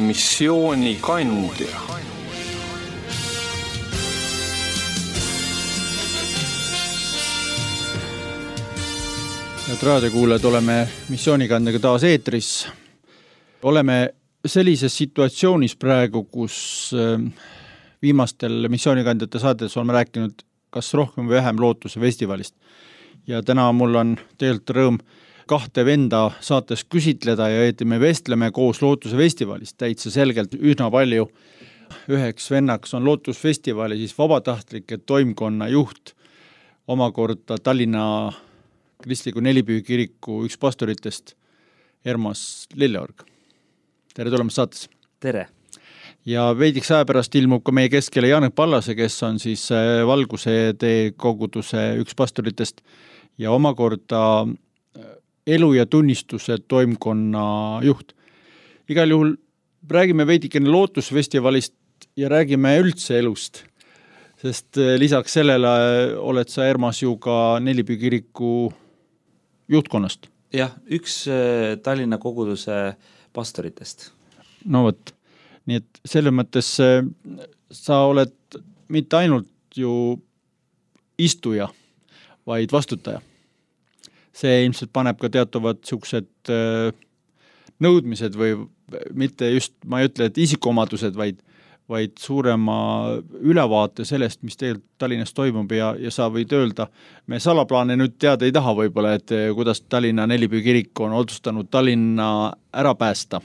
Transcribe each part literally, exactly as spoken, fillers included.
missioonikandja. Head raadiokuulajad, oleme missioonikandjaga taas eetris. Oleme sellises situatsioonis praegu, kus viimastel missioonikandjate saadetes oleme rääkinud kas rohkem või vähem Lootuse festivalist. Ja täna mul on tegelikult rõõm kahte venda saates küsitleda ja et me vestleme koos Lootuse festivalist. Täitsa selgelt üsna palju. Üheks vennaks on Lootuse festivali siis vabatahtlike toimkonna juht, omakorda Tallinna kristliku nelipüükiriku üks pastoritest, Ermas Lilleorg. Tere tulemast saates. Tere. Ja veidiks aja pärast ilmub ka meie keskele Janek Pallase, kes on siis Valguse tee koguduse üks pastoritest ja omakorda elu ja tunnistuse toimkonna juht. Igal juhul räägime veidikene Lootusfestivalist ja räägime üldse elust, sest lisaks sellele oled sa, Ermas, ju ka nelipüükiriku juhtkonnast. Jah, üks Tallinna koguduse pastoritest. No võt. Nii et selle mõttes sa oled mitte ainult ju istuja, vaid vastutaja. See ilmselt paneb ka teatavad siuksed nõudmised või mitte just, ma ei ütle, et isikuomadused, vaid, vaid suurema ülevaate sellest, mis tegelikult Tallinnas toimub ja, ja sa võid öelda, me salaplaane nüüd teada ei taha võib-olla, et kuidas Tallinna nelipüükirik on otsustanud Tallinna ära päästa.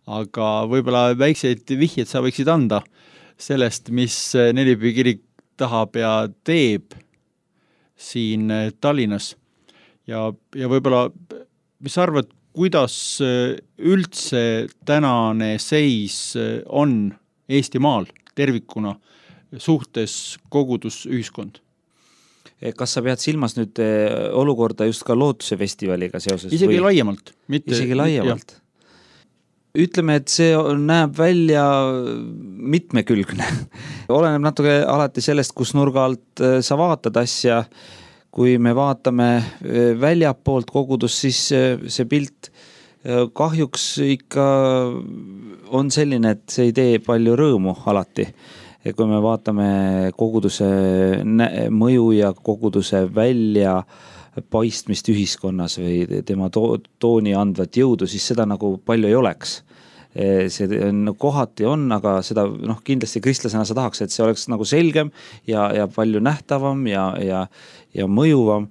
Aga võib-olla väikseid vihjeid sa võiksid anda sellest, mis nelipüükirik tahab ja teeb siin Tallinnas. Ja, ja võib-olla, mis sa arvad, kuidas üldse tänane seis on Eestimaal tervikuna suhtes kogudusühiskond? Kas sa pead silmas nüüd olukorda just ka Lootuse festivaliga seoses? Isegi või? laiemalt. Mitte, Isegi laiemalt. Ütleme, et see näeb välja mitmekülgne. Oleneb natuke alati sellest, kus nurga alt sa vaatad asja. Kui me vaatame väljapoolt kogudust, siis see pilt kahjuks ikka on selline, et see ei tee palju rõõmu alati. Kui me vaatame koguduse mõju ja koguduse välja paistmist ühiskonnas või tema to- tooni andvat jõudu, siis seda nagu palju ei oleks. See on, kohati on, aga seda noh, kindlasti kristlasena sa tahaks, et see oleks nagu selgem ja, ja palju nähtavam ja, ja, ja mõjuvam.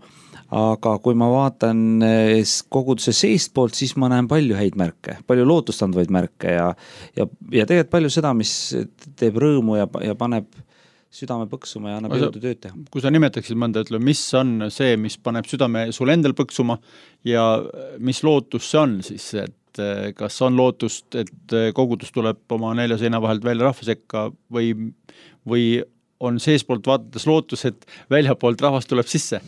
Aga kui ma vaatan koguduse seest poolt, siis ma näen palju häid märke, palju lootustandvaid märke ja, ja, ja tegelikult palju seda, mis teeb rõõmu ja, ja paneb südame põksuma ja annab jõudu tööd teha. Kui sa nimetaksid mõnda, ütle, mis on see, mis paneb südame sul endal põksuma ja mis lootus see on siis, et kas on lootust, et kogudus tuleb oma nelja seina vahelt välja rahva sekka või, või on seespoolt vaadates lootus, et väljapoolt rahvas tuleb sisse?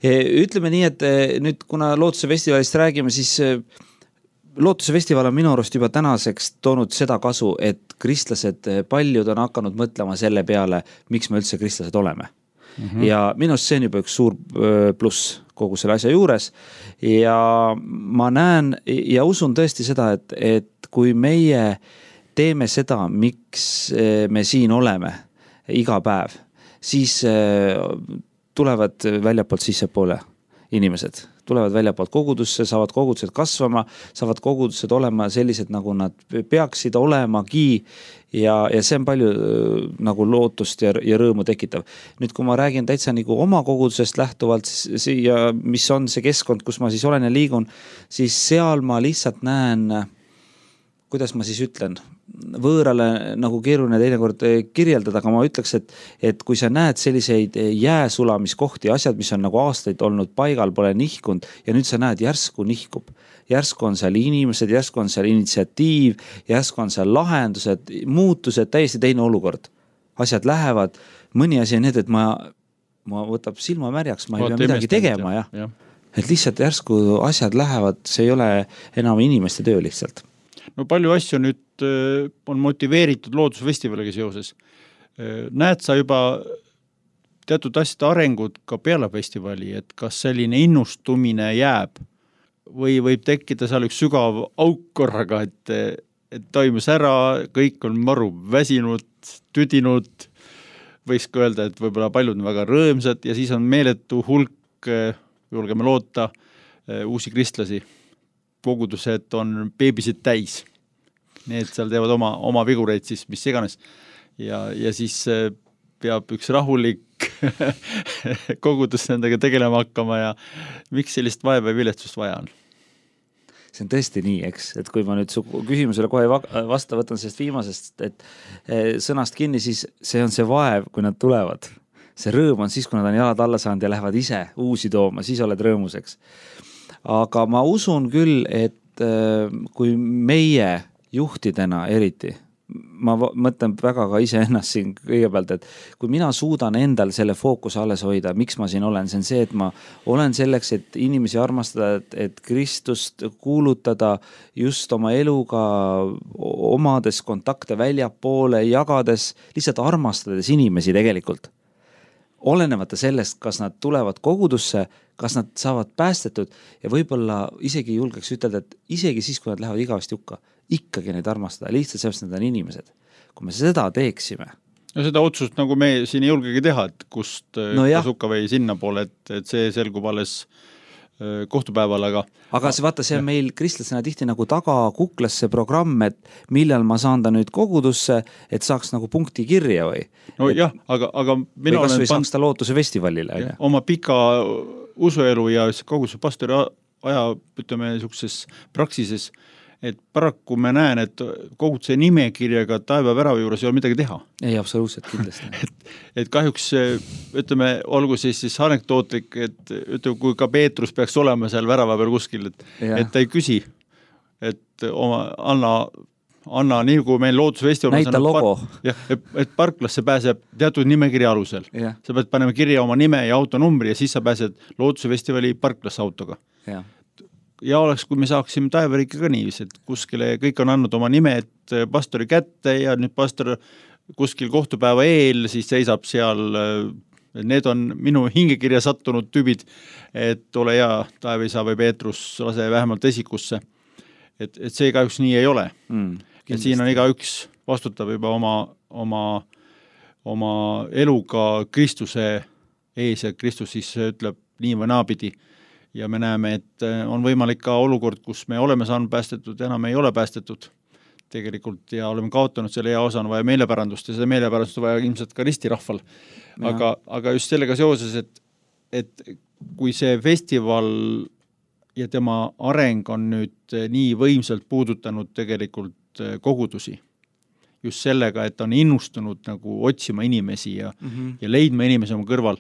Ütleme nii, et nüüd kuna Lootuse festivalist räägime, siis Lootuse festival on minu arust juba tänaseks toonud seda kasu, et kristlased paljud on hakanud mõtlema selle peale, miks me üldse kristlased oleme. Mm-hmm. Ja minust see on juba üks suur pluss kogu selle asja juures ja ma näen ja usun tõesti seda, et, et kui meie teeme seda, miks me siin oleme iga päev, siis tulevad väljapoolt sissepoole inimesed. Tulevad väljapoolt kogudusse, saavad kogudused kasvama, saavad kogudused olema sellised, nagu nad peaksid olemagi ja, ja see on palju nagu lootust ja, ja rõõmu tekitav. Nüüd, kui ma räägin täitsa nagu oma kogudusest lähtuvalt ja mis on see keskkond, kus ma siis olen ja liigun, siis seal ma lihtsalt näen, kuidas ma siis ütlen, võõrale nagu keeruline teinekord kirjeldada, aga ma ütleks, et, et kui sa näed selliseid jääsulamiskohti, asjad, mis on nagu aastaid olnud paigal, pole nihkunud ja nüüd sa näed, järsku nihkub. Järsku on seal inimesed, järsku on seal initsiatiiv, järsku on seal lahendused, muutused, täiesti teine olukord. Asjad lähevad, mõni asi on need, et ma, ma võtab silma märjaks, ma ei pea midagi tegema. Ja. Ja. Et lihtsalt järsku asjad lähevad, see ei ole enam inimeste töö lihtsalt. No palju asju nüüd on motiveeritud Loodusfestivaliga seoses. Näed sa juba teatud asjade arengud ka peale festivali, et kas selline innustumine jääb või võib tekkida seal üks sügav auk korraga, et, toimus ära, kõik on maru väsinud, tüdinud, võiks ka öelda, et võib-olla paljud on väga rõõmsad ja siis on meeletu hulk, julgeme loota, uusi kristlasi. Kogudused on beebisid täis. Need seal teevad oma, oma vigureid siis, mis iganes. Ja, ja siis peab üks rahulik kogudus nendega tegelema hakkama ja miks sellist vaeva ja viletsust vaja on? See on tõesti nii, eks, et kui ma nüüd su küsimusele kohe vasta võtan sellest viimasest, et sõnast kinni, siis see on see vaev, kui nad tulevad. See rõõm on siis, kui nad on jalad alla saanud ja lähevad ise uusi tooma, siis oled rõõmuseks. Aga ma usun küll, et kui meie juhtidena eriti, ma mõtlen väga ka ise ennast siin kõigepealt, et kui mina suudan endal selle fookuse alles hoida, miks ma siin olen, see on see, et ma olen selleks, et inimesi armastada, et, et Kristust kuulutada just oma eluga, omades kontakte väljapoole, jagades, lihtsalt armastades inimesi tegelikult. Olenemata sellest, kas nad tulevad kogudusse, kas nad saavad päästetud ja võib-olla isegi julgeks ütelda, et isegi siis, kui nad lähevad igavesti hukka, ikkagi neid armastada, lihtsalt sellest nad on inimesed. Kui me seda teeksime. No seda otsust nagu me siin ei julgegi teha, et kust no kas hukka või sinna poole, et, et see selgub alles kohtupäeval, aga aga see vaata, see on meil kristlasena tihti nagu taga kuklas see programm, et millal ma saan ta nüüd kogudusse, et saaks nagu punkti kirja või? No et, jah, aga, aga mina või kas või saaks ta lootuse festivalile. Ja, oma pika usuelu ja koguduse pastori aja, ütleme, niisuguses praksises, et paraku me näen, et koguduse nimekirjaga taeva värava juures ei ole midagi teha. Ei, absoluutselt kindlasti. et, et kahjuks, ütleme, olgu siis, siis anekdootlik, et ütleme, kui ka Peetrus peaks olema seal värava peal kuskil, et, et ta ei küsi, et oma, anna, anna nii kui meil loodusfestival näita logo. Par, jah, et, et parklasse pääseb teatud nimekirja alusel. Ja. Sa pead panema kirja oma nime ja autonumbri ja siis sa pääsed loodusfestivali parklasse autoga. Ja. Ja oleks, kui me saaksime taevariiki ka nii, et kuskile kõik on andnud oma nimed pastori kätte ja nüüd pastor kuskil kohtupäeva eel siis seisab seal, need on minu hingekirja sattunud tüübid, et ole hea, Taeviisa või Peetrus, lase vähemalt esikusse. Et, et see kahjuks nii ei ole. Mm, et siin on iga üks vastutab juba oma, oma, oma eluga Kristuse ees ja Kristus siis ütleb nii või naapidi. Ja me näeme, et on võimalik ka olukord, kus me oleme saanud päästetud, enam ei ole päästetud tegelikult ja oleme kaotanud selle hea osa, on vaja meelepärandust ja seda meelepärandust on vaja ilmselt ka ristirahval. Aga, aga just sellega seoses, et, et kui see festival ja tema areng on nüüd nii võimsalt puudutanud tegelikult kogudusi, just sellega, et on innustunud nagu otsima inimesi ja, mm-hmm. ja leidma inimesi oma kõrval,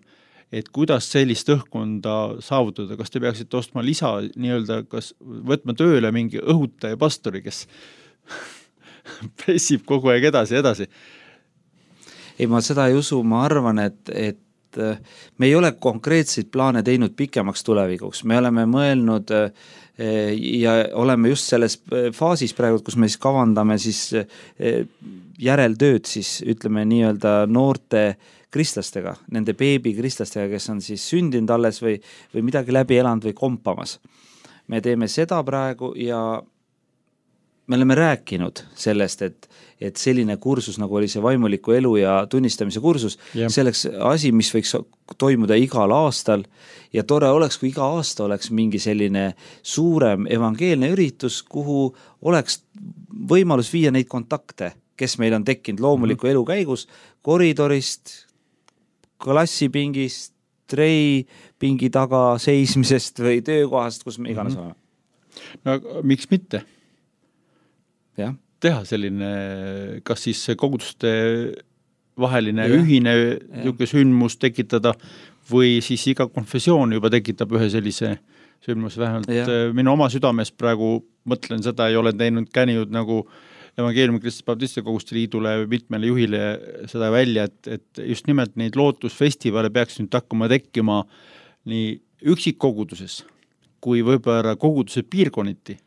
et kuidas sellist õhkkonda saavutada, kas te peaksite ostma lisa, nii-öelda, kas võtma tööle mingi õhutaja pastori, kes pressib kogu aeg edasi, edasi? Ei, ma seda ei usu, ma arvan, et, et me ei ole konkreetseid plaane teinud pikemaks tulevikuks, me oleme mõelnud ja oleme just selles faasis praegu, kus me siis kavandame siis järeltööd, siis ütleme nii-öelda noorte kristlastega, nende beebi kristlastega, kes on siis sündinud alles või, või midagi läbi elanud või kompamas. Me teeme seda praegu ja me oleme rääkinud sellest, et, et selline kursus, nagu oli see vaimuliku elu ja tunnistamise kursus, yeah. selleks asi, mis võiks toimuda igal aastal ja tore oleks, kui iga aasta oleks mingi selline suurem evangeelne üritus, kuhu oleks võimalus viia neid kontakte, kes meil on tekkinud loomuliku mm-hmm. elu käigus, koridorist, klassipingist, trei pingi taga seismisest või töökohast, kus me iganes oleme. No miks mitte? Ja. Teha selline, kas siis koguduste vaheline ja. ühine niisugune sündmus tekitada või siis iga konfessioon juba tekitab ühe sellise sündmus vähemalt. Ja. Minu oma südames praegu mõtlen seda, ei ole teinud käninud nagu evangeeliumi Kristlaste Baptiste Koguste Liidule mitmele juhile seda välja, et, et just nimelt neid lootusfestivale peaks nüüd hakkama tekkima nii üksikkoguduses kui võib-olla koguduse piirkonniti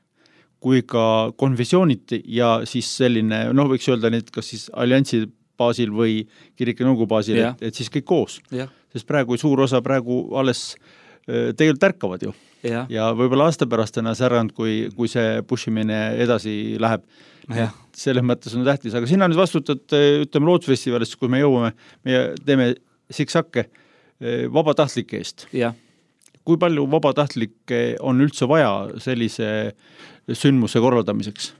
kui ka konfessiooniti ja siis selline, noh võiks öelda neid kas siis alliansi baasil või kirika nõukogu baasil, et, et siis kõik koos. Ja. Sest praegu suur osa praegu alles tegelikult tärkavad ju. Ja, ja võib-olla aasta pärast ennast äranud, kui, kui see pushimine edasi läheb. Ja. Selles mõttes on tähtis, aga sina nüüd vastutad, ütleme, Lootusfestivalist, kui me jõuame, me teeme siksakke vabatahtlike eest. Jah. Kui palju vabatahtlikke on üldse vaja sellise sündmuse korraldamiseks?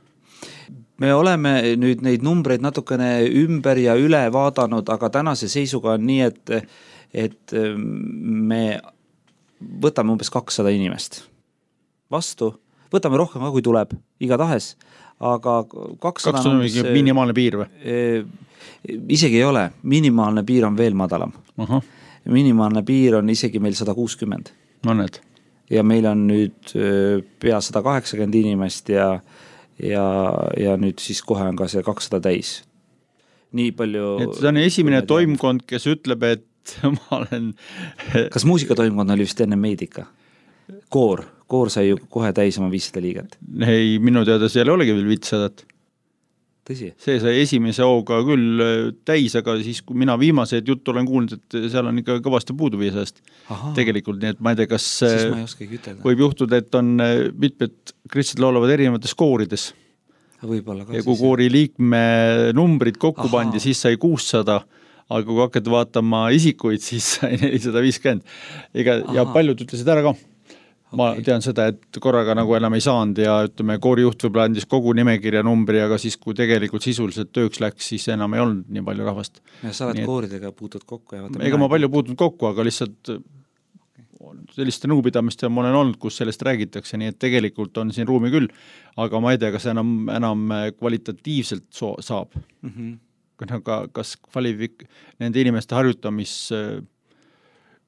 Me oleme nüüd neid numbreid natukene ümber ja üle vaadanud, aga tänase seisuga on nii, et, et me võtame umbes kakssada inimest vastu, võtame rohkem ka, kui tuleb, iga tahes, aga kakssada, kakssada on umbes, minimaalne piir või? Isegi ei ole, minimaalne piir on veel madalam. Aha. Minimaalne piir on isegi meil sada kuuskümmend. Mõned. Ja meil on nüüd pea sada kaheksakümmend inimest ja, ja, ja nüüd siis kohe on ka see kakssada täis. Nii palju... Et see on esimene toimkond, kes ütleb, et ma olen... Kas muusikatoimkond oli vist enne meidika? Koor. Koor sai ju kohe täis oma viissada liiget. Ei, minu teada seal olegi veel viitsadat. Tõsi? See sai esimese hooga küll täis, aga siis, kui mina viimased juttu olen kuulnud, et seal on ikka kõvasti puudu viisast. Tegelikult, nii et ma ei tea, kas ma ei võib juhtuda, et on mitmed kristid laulavad erinevates koorides. Võib-olla ka. Ja kui koori liikme numbrid kokku pandi, siis sai kuussada, aga kui hakkad vaatama isikuid, siis sai nelisada viiskümmend. Ega, ja paljud ütlesid ära ka. Ma okay. tean seda, et korraga nagu enam ei saanud ja ütleme, koorijuht võib-olla andis kogu nimekirja numbri, aga siis, kui tegelikult sisuliselt tööks läks, siis enam ei olnud nii palju rahvast. Ja sa oled kooridega puutud kokku? Ja ega ma palju puutunud kokku, aga lihtsalt selliste nõupidamiste ma olen olnud, kus sellest räägitakse, nii et tegelikult on siin ruumi küll, aga ma ei tea, kas enam, enam kvalitatiivselt so- saab. Mm-hmm. Ka, kas kvalifik- nende inimeste harjutamis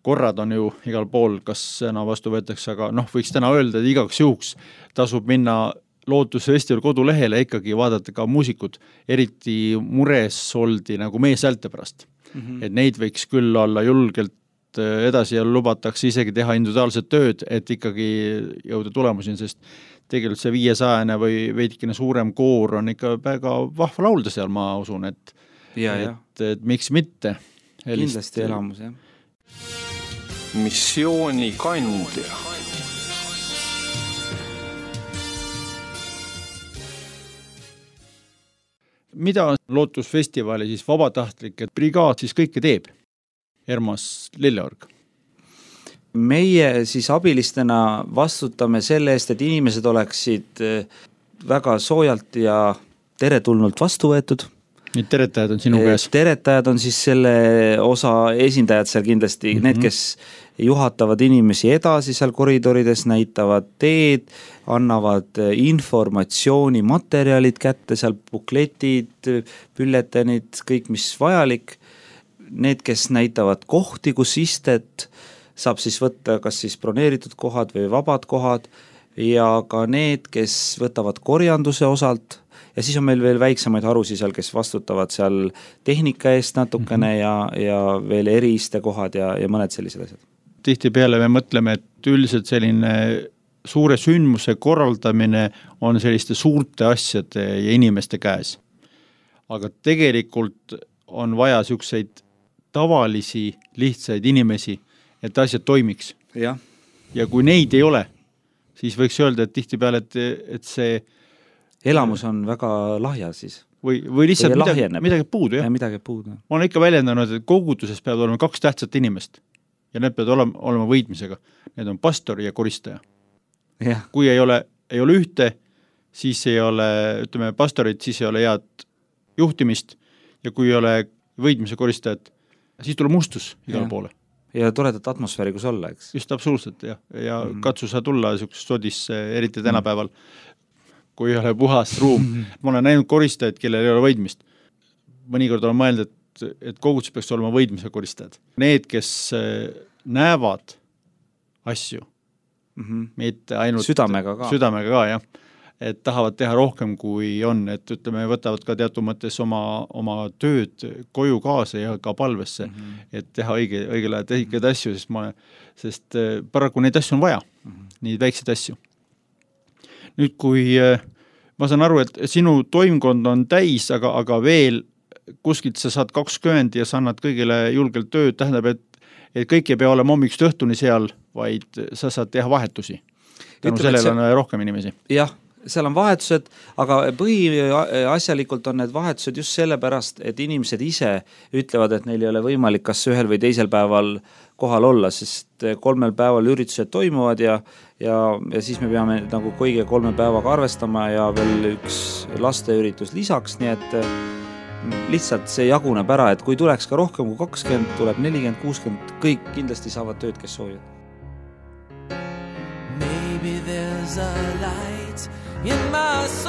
korrad on ju igal pool, kas enam vastu võetakse, aga noh, võiks täna öelda, et igaks juhuks tasub minna Lootusfestival kodulehele ikkagi vaadata ka muusikud, eriti mures oldi nagu meeshäälte pärast. Mm-hmm. Et neid võiks küll olla julgelt edasi ja lubatakse isegi teha individuaalset tööd, et ikkagi jõuda tulemusin, sest tegelikult see viiesajane või veidikene suurem koor on ikka väga vahva laulda seal, ma usun, et, ja, et, et, et miks mitte. Kindlasti elamus, jah. Missiooni kandja. Mida Lootusfestivali siis vabatahtlike brigaad siis kõike teeb? Ermas Lilleorg. Meie siis abilistena vastutame selle eest, et inimesed oleksid väga soojalt ja teretulnult vastu võetud. Need teretajad on sinu käes? Teretajad on siis selle osa esindajad seal kindlasti, mm-hmm. need, kes juhatavad inimesi edasi seal koridorides, näitavad teed, annavad informatsiooni, materjalid kätte, seal bukletid, bülletenid, kõik mis vajalik. Need, kes näitavad kohti, kus istet, saab siis võtta kas siis broneeritud kohad või vabad kohad ja ka need, kes võtavad korjanduse osalt. Ja siis on meil veel väiksemaid harusi seal, kes vastutavad seal tehnika eest natukene mm-hmm. ja, ja veel eriiste kohad ja, ja mõned sellised asjad. Tihti peale me mõtleme, et üldiselt selline suure sündmuse korraldamine on selliste suurte asjade ja inimeste käes. Aga tegelikult on vaja siukseid tavalisi, lihtsaid inimesi, et asjad toimiks. Ja, ja kui neid ei ole, siis võiks öelda, et tihti peale, et, et see elamus on väga lahja siis. Või, või lihtsalt või midagi, midagi puudu. Ja midagi puudu. Ma olen ikka väljendanud, et koguduses peavad olema kaks tähtsat inimest ja need peavad olema, olema võitmisega. Need on pastor ja koristaja. Ja. Kui ei ole, ei ole ühte, siis ei ole, ütleme, pastorit, siis ei ole head juhtimist ja kui ei ole võitmise koristajat, siis tuleb mustus igal ja. Poole. Ja toredat atmosfääri, kus olla, eks? Just absoluutselt, jah. Ja mm. katsu sa tulla siukses sodisse, eriti tänapäeval, kui ei ole puhas ruum. Ma olen näinud koristajaid, kellel ei ole võidmist. Mõnikord olen mõelnud, et, et kogudus peaks olema võidmise koristajad. Need, kes näevad asju, mm-hmm. mitte ainult südamega ka, südamega ka jah. Et tahavad teha rohkem, kui on, et ütleme, võtavad ka teatud mõttes oma, oma tööd koju kaasa ja ka palvesse, mm-hmm. et teha õige, õigel ajal tehikaid asju, sest, ma, sest paraku neid asju on vaja, mm-hmm. nii väikseid asju. Nüüd, kui ma saan aru, et sinu toimkond on täis, aga, aga veel kuskilt sa saad kakskümmend ja sa annad kõigile julgelt tööd, tähendab, et, et kõik ei pea olema hommikust õhtuni seal, vaid sa saad teha vahetusi. Tänu sellele on rohkem inimesi. Jah, seal on vahetused, aga põhiasjalikult on need vahetused just sellepärast, et inimesed ise ütlevad, et neil ei ole võimalik kas ühel või teisel päeval kohal olla, sest kolmel päeval üritused toimuvad ja, ja, ja siis me peame nagu kõige kolme päevaga arvestama ja veel üks lasteüritus lisaks, nii et lihtsalt see jaguneb ära, et kui tuleks ka rohkem kui kakskümmend, tuleb nelikümmend, kuuskümmend, kõik kindlasti saavad tööd, kes soovivad. Maybe there's a light in my soul.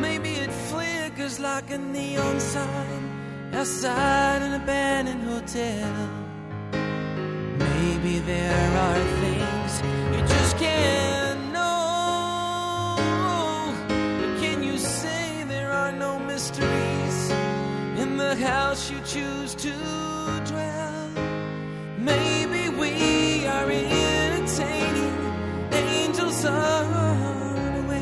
Maybe it flickers like a neon sign outside an abandoned hotel. Maybe there are things you just can't know. But can you say there are no mysteries in the house you choose to dwell? Maybe we are entertaining angels unaware.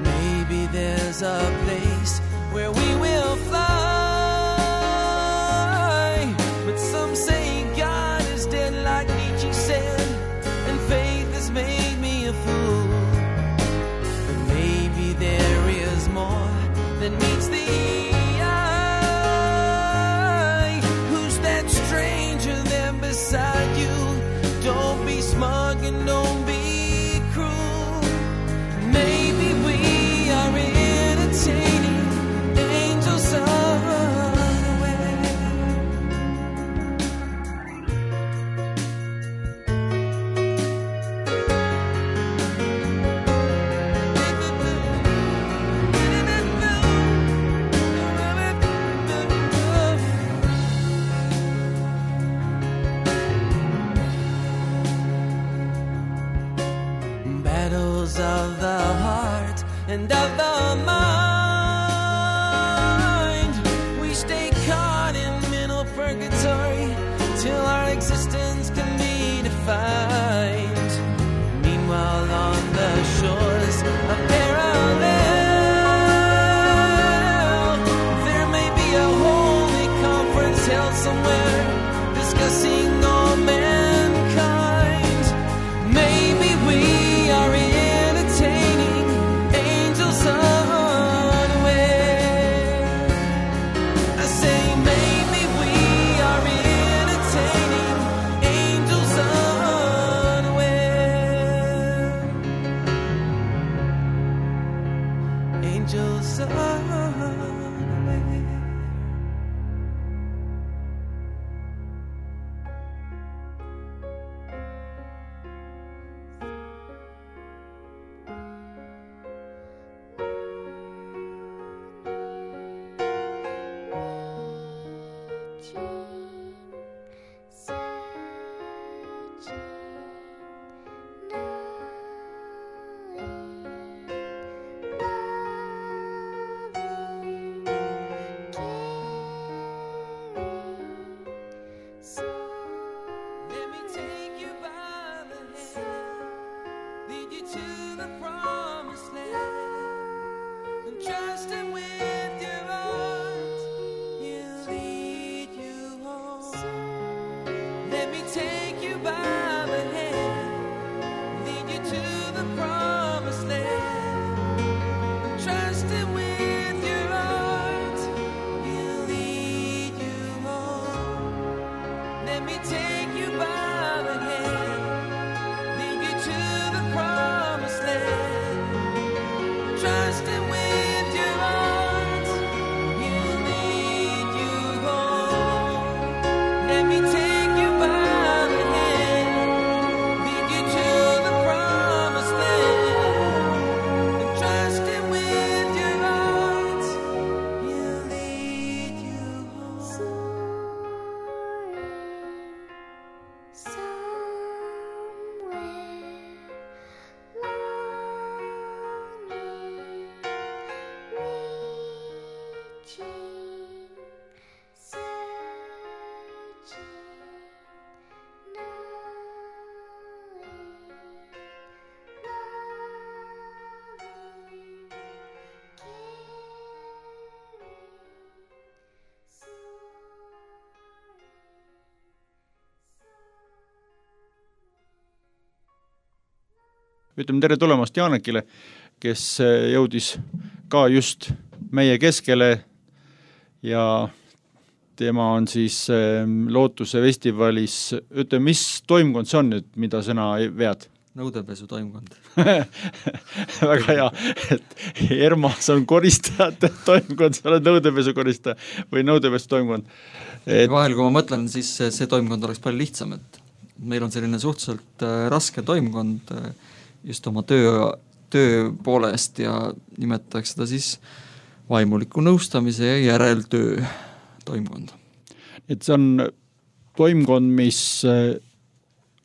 Maybe there's a place where we will fly, but some say God is dead like Nietzsche said, and faith has made me a fool. But maybe there is more than meets the eye. Who's that stranger there beside you? Don't be smug and don't be cruel. Maybe we are entertaining angels unaware. Battles of the heart and of the mind. We stay caught in mental purgatory till our existence can be defined. Meanwhile on the shores of parallel, there may be a holy conference held somewhere discussing all mankind. Maybe we are entertaining angels unaware. I say maybe we are entertaining angels unaware. Angels unaware. Searching, knowing, loving. ütleme tere tulemast Jaanekile, kes jõudis ka just meie keskele ja tema on siis Lootuse festivalis, ütleme, mis toimkond see on nüüd, mida sina vead? Nõudepesu toimkond. Väga hea, et Ermas on koristajate toimkond, sa oled nõudepesu koristaja või nõudepesu toimkond. Et... Vahel, kui ma mõtlen, siis see toimkond oleks palju lihtsam, et meil on selline suhteliselt raske toimkond just oma töö, töö poolest ja nimetaks seda siis vaimuliku nõustamise ja järeltöö toimkond. Et see on toimkond, mis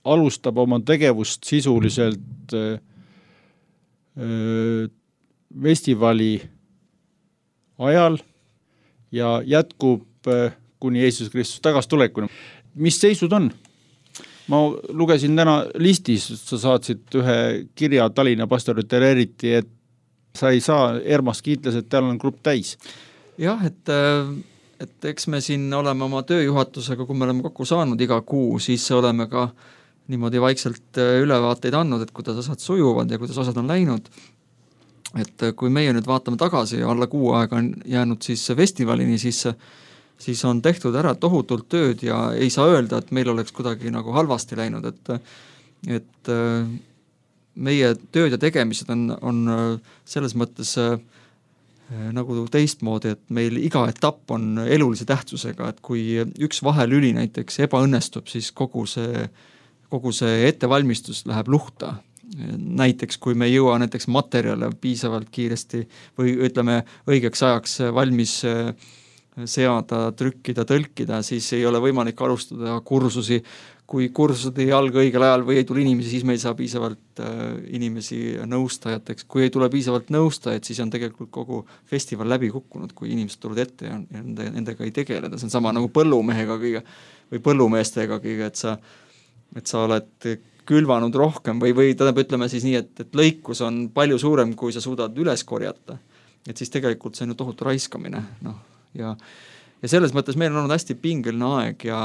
alustab oma tegevust sisuliselt öö, festivali ajal ja jätkub öö, kuni Jeesus Kristus tagas tulekuna. Mis seisud on? Ma lugesin täna listis, sa saatsid ühe kirja Tallinna pastoritele eriti, et sa ei saa Ermas kiitles, et tal on grupp täis. Jah, et, et eks me siin oleme oma tööjuhatusega, kui me oleme kokku saanud iga kuu, siis oleme ka niimoodi vaikselt ülevaateid andnud, et kuidas asjad sujuvad ja kuidas asjad on läinud. Et kui meie nüüd vaatame tagasi ja alla kuu aega on jäänud siis festivalini, siis, siis on tehtud ära tohutult tööd ja ei saa öelda, et meil oleks kuidagi nagu halvasti läinud, et, et meie tööd ja tegemised on, on selles mõttes nagu teistmoodi, et meil iga etapp on elulise tähtsusega, et kui üks vahelüli näiteks ebaõnnestub, siis kogu see kogu see ettevalmistus läheb luhta. Näiteks, kui me ei jõua näiteks materjale piisavalt kiiresti või ütleme õigeks ajaks valmis seada, trükkida, tõlkida, siis ei ole võimalik alustada kursusi. Kui kursused ei alga õigel ajal või ei tule inimesi, siis me ei saa piisavalt inimesi nõustajateks. Kui ei tule piisavalt nõustajad, siis on tegelikult kogu festival läbi kukkunud, kui inimesed tulud ette ja nendega ei tegeleda. See on sama nagu põllumehega kõige, või põllumeestega kõige, et sa et sa oled külvanud rohkem või, või tähendab, ütleme siis nii, et, et lõikus on palju suurem, kui sa suudad üles korjata. Et siis tegelikult see on ju tohutu raiskamine. No, ja, ja selles mõttes meil on olnud hästi pingeline aeg ja,